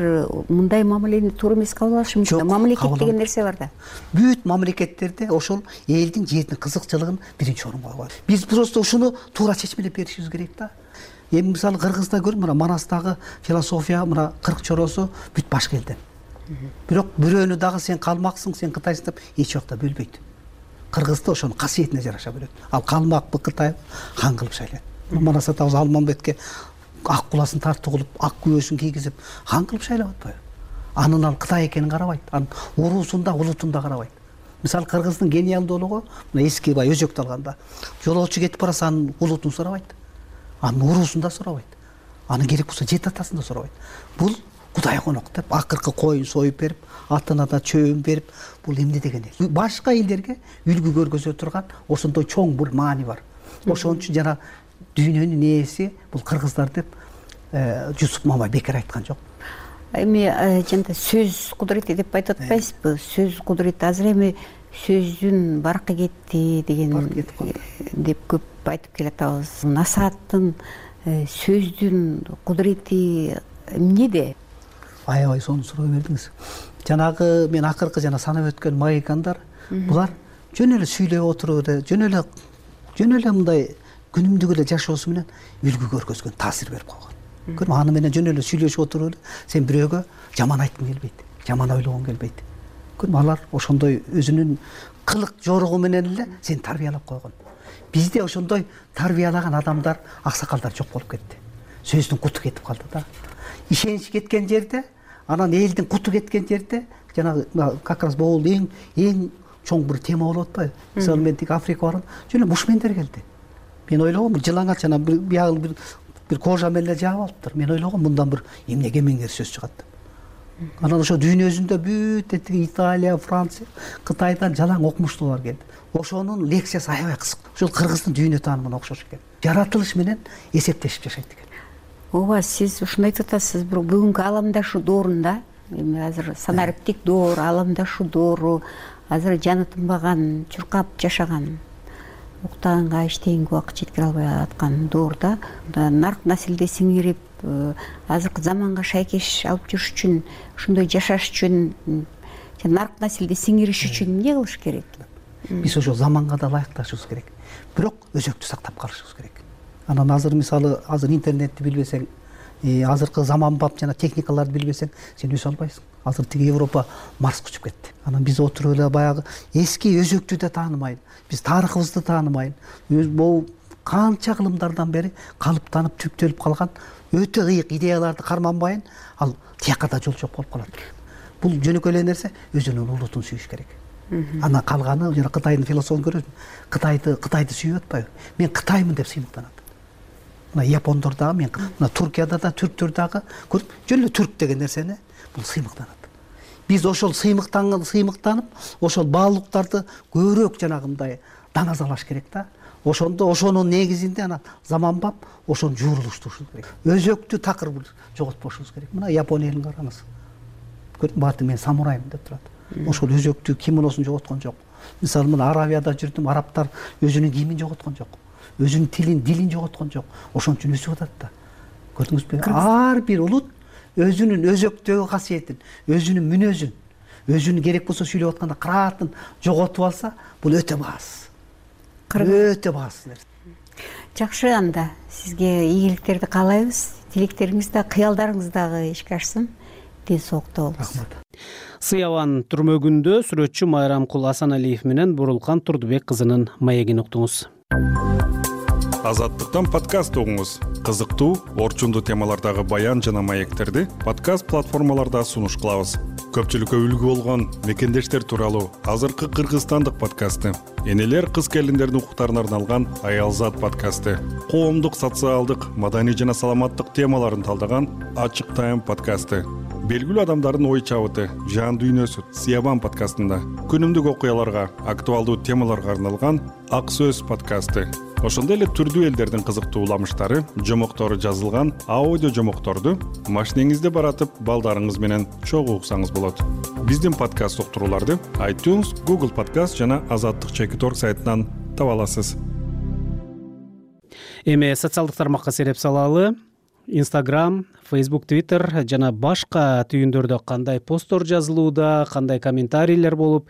мындай мамилени туура эмес кабыл алышы мүмкүн. Мамлекет деген нерсе бар да. Бүт мамлекеттерде ошол элдин жердин кызыкчылыгын биринчи орунга коет. Биз просто ушуну туура чечмелеп беришибиз керек да. Эми мисалы Кыргызда көр, мына Манастагы философия, мына кырк чоросу бүт башка элден. Бирок бирөөнү дагы сен калмаксың, сен Кытайсың деп эч жакта бөлбөйт. Кыргызда ошонун касиетине жараша бөлөт. Ал калмакпы, Кытай хан кылып шайлайт. Манас атабыз Алмамбетке ак куласын тартып кылып, ак күбөсүн кийгизип хан кылып шайлап атпайбы? Анын ал Кытай экенин карабайт. Анын уруусун да, улутун да карабайт. Мисалы Кыргыздын гениалдуулугу мына эски бай өзөктү алганда жолоочу кетип барса анын улутун сурабайт. Анын уруусун да сурабайт. Анын керек болсо жет атасын да сурабайт. Бул Кудай конок деп акыркы коюн союп берип, атына да чөбүн берип, бул эмне деген эл. Башка элдерге үлгү көргөзө турган ошондой чоң бир маани бар. Ошон үчүн жана дүйнөнүн ээси бул кыргыздар деп Жусуп Мамай бекер айткан жок. Эми жана сөз кудурети деп айтып атпайсызбы? Сөз кудурети азыр эми сөздүн баркы кетти деген деп көп айтып келатабыз. Насааттын сөздүн кудурети эмнеде? Аябай сону суроо бердиңиз. Жанагы мен акыркы жана санап өткөн магикандар, булар жөн эле сүйлөп отуруп эле, жөн эле мындай күнүмдүк эле жашоосу менен үлгү көргөзгөн, таасир берип койгон. Көрдүңбү, аны менен жөн эле сүйлөшүп отуруп эле, сен бирөөгө жаман айткың келбейт, жаман ойлогоң келбейт. Көрдүңбү, алар ошондой өзүнүн кылык жоругу менен эле сени тарбиялап койгон. Бизде ошондой тарбиялаган адамдар, аксакалдар жок болуп кетти. Сөздүн куту кетип калды да. Ишенич кеткен жерде, анан элдин куту кеткен жерде, жанагы как раз бул эң чоң бир тема болуп атпайбы? Мисалы мен тик Африкага бардым, жөн эле бушмендер келди. Мен ойлогом, жылаңач жана биягы бир кожа менен эле жаап алыптыр. Мен ойлогом, мындан бир эмне кемеңгер сөз чыгат деп. Анан ошо дүйнө өзүндө бүт Италия, Франция, Кытайдан жалаң окумуштуулар келди. Ошонун лекциясы аябай кысык. Ошол кыргыздын дүйнө таанымына окшош экен. Жаратылыш менен эсептешип жашайт экен. Ооба, сиз ушуну айтып атасыз, бирок бүгүнкү аламдашуу доорунда, эми азыр санариптик доор, аламдашуу доору, азыр жаны тынбаган, чуркап жашаган, уктаганга эчтегенге убакыт жеткире албай аткан доорда нарк населде сиңирип, азыркы заманга шайкеш алып жүрүш үчүн, ушундай жашаш үчүн, нарк населде сиңириш үчүн эмне кылыш керек? Биз ошол заманга да ылайыкташыбыз керек. Бирок өзөктү сактап калышыбыз керек. Анан азыр мисалы азыр интернетти билбесең, азыркы заманбап жана техникаларды билбесең, сен өсө албайсың. Азыр тиги Европа Марска учуп кетти. Анан биз отуруп эле баягы эски өзөктү да таанымайын, биз тарыхыбызды таанымайын. Бул канча кылымдардан бери калыптанып түптөлүп калган өтө ыйык идеяларды карманбайын, ал тияка да жол жок болуп калат. Бул жөнөкөй эле нерсе, өзүнүн улутун сүйүш керек. Анан калганы жана Кытайдын философун көрөсүң. Кытайды сүйүп атпайбы? Мен Кытаймын деп сыймыктанат. Мына япондор дагы, мен мына Туркияда да, түрктөр дагы көрүп, жөн эле түрк деген нерсени бул сыймыктанат. Биз ошол сыймыктанып, ошол баалуулуктарды көбүрөөк жанагындай даназалаш керек да. Ошондо ошонун негизинде анан заманбап ошону жуурулуштурушубуз керек. Өзөктү такыр жоготпошубуз керек. Мына Япония элин караңыз. Көрдүң, бааты мен самураймын деп турат. Ошол өзөктү кимоносун жоготкон жок. Мисалы мына Аравияда жүрдүм, арабтар өзүнүн кийимин жоготкон жок. Өзүнүн дилин жоготкон жок. Ошон үчүн өсүп атат да. Көрдүңүзбү? Ар бир улут өзүнүн өзөктөгү касиетин, өзүнүн мүнөзүн, өзүнүн керек болсо сүйлөп атканда кыраатын жоготуп алса, бул өтө баасыз. Өтө баасыз нерсе. Жакшы, анда сизге ийгиликтерди каалайбыз. Тилектериңиз да, кыялдарыңыз дагы ишке ашсын. Ден соолукта болуңуз. Сыябан түрмөгүндө сүрөтчү Майрамкул Асаналиев менен Бурулкан Турдубек кызынын маегин уктуңуз. Азаттыктан подкаст угуңуз. Кызыктуу, орчундуу темалардагы баян жана маектерди подкаст платформаларда сунуш кылабыз. Көпчүлүккө үлгү болгон мекендештер тууралуу азыркы кыргызстандык подкасты, энелер кыз келиндердин укуктарына арналган Аялзат подкасты, коомдук, социалдык, маданий жана саламаттык темаларын талдаган Ачык Тайм подкасты, белгилүү адамдардын ой чабыты, жан дүйнөсү Сыябан подкастында, күнүмдүк окуяларга, актуалдуу темаларга арналган Ак Сөз подкасты. Ошондой эле түрдүү элдердин кызыктуу уламыштары, жомоктору жазылган аудио жомокторду машинеңизде баратып, балдарыңыз менен чогуу уксаңыз болот. Биздин подкаст уктурууларды iTunes, Google Podcast жана Азаттык.org сайтынан таба аласыз. Эми социалдык тармакка сереп салалы. Instagram, Facebook, Twitter жана башка түйүндөрдө кандай посттор жазылууда, кандай комментарийлер болуп,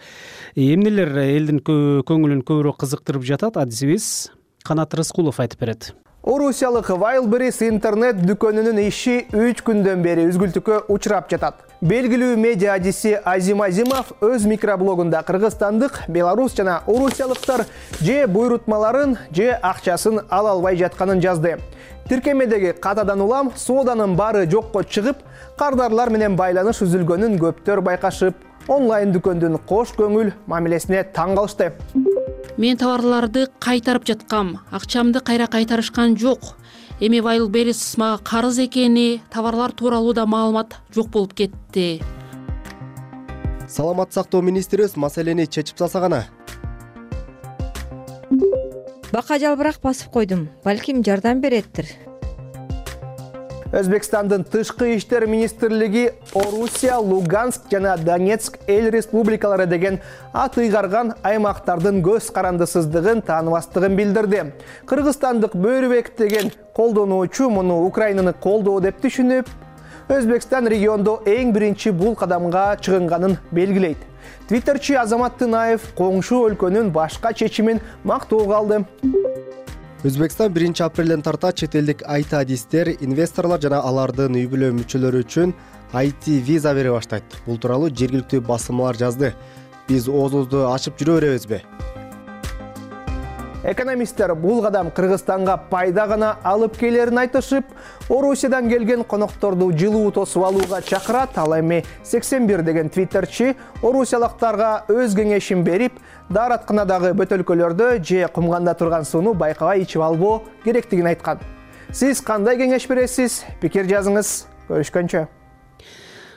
эмнелер элдин көңүлүн көбүрөөк кызыктырып жатат, адисибиз Канат Рыскулов айтып берет. Орусиялык Wildberries интернет дүкөнүнүн иши 3 күндөн бери үзгүлтүккө учурап жатат. Белгилүү медиа адиси Азим Азимов өз микроблогунда кыргызстандык, белорус жана орусиялыктар же буйрутмаларын, же акчасын ала албай жатканын жазды. Тиркемедеги катадан улам сооданын баары жокко чыгып, кардарлар менен байланыш үзүлгөнүн көптөр байкашып, онлайн дүкөндүн кош көңүл мамилесине таң калышты. Мен товарларды кайтарып жаткам, акчамды кайра кайтарышкан жок. Эми Wildberries мага карыз экени, товарлар тууралуу да маалымат жок болуп кетти. Саламат сактоо министрибиз маселени чечип салса гана. Бака жалбырак басып койдум. Балким жардам береттир. Өзбекстандын тышкы иштер министрлиги Орусия, Луганск жана Донецк эл республикалары деген ат ыйгарган аймактардын көз карандысыздыгын, тааныбастыгын билдирди. Кыргызстандык Бөрүбек деген колдонуучу муну Украинаны колдоо деп түшүнүп, Өзбекстан региондо эң биринчи бул кадамга чыгынганын белгилейт. Твиттерчи Азамат Тынаев коңшу өлкөнүн башка чечимин мактоого алды. Өзбекстан 1 апрелден тарта чет элдик IT-адистер, инвесторлор жана алардын үй бүлө мүчөлөрү үчүн IT виза бере баштайт. Бул тууралуу жергиликтүү басылмалар жазды. Биз оозубузду ачып жүрө беребизби? Экономисттер бул кадам Кыргызстанга пайда гана алып келерин айтышып, Орусиядан келген конокторду жылуу тосуп алууга чакырат. Ал эми 81 деген твиттерчи орусиялыктарга өз кеңешин берип, daarатканадагы бөтөлкөлөрдө же кумганда турган сууну байкабай ичип албоо керектигин айткан. Сиз кандай кеңеш бересиз? Пикир жазыңыз. Көрүшкөнчө.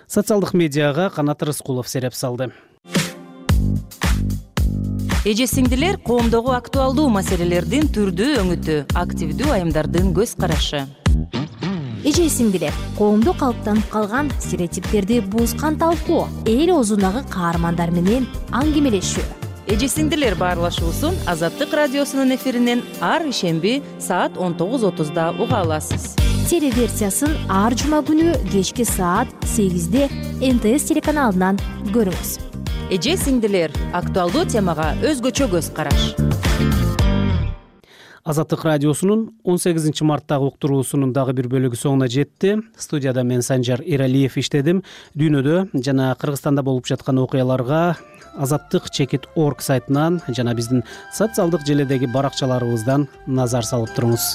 Социалдык медиага Канат Рыскулов сереп салды. Эже-сиңдилер коомдогу актуалдуу маселелердин түрдүү өңүтү, активдүү айымдардын көз карашы. Эже-сиңдилер коомдо калыптанып калган стереотиптерди бузган талкуу, эл оозундагы каармандар менен аңгемелешүү. Эже-сиңдилер баарлашуусун Азаттык радиосунун эфиринен ар ишемби саат 19:30 уга аласыз. Телеверсиясын ар жума күнү кечки саат 8-де НТС телеканалынан көрүңүз. Эже-сиңдилер актуалдуу темага өзгөчө көз караш. Азаттык радиосунун 18 марттагы уктуруусунун дагы бир бөлүгү соңуна жетти. Студияда мен Санжар Эралиев иштедим. Дүйнөдө жана Кыргызстанда болуп жаткан окуяларга azattik.org сайтынан жана биздин социалдык желедеги баракчаларыбыздан назар салып туруңуз.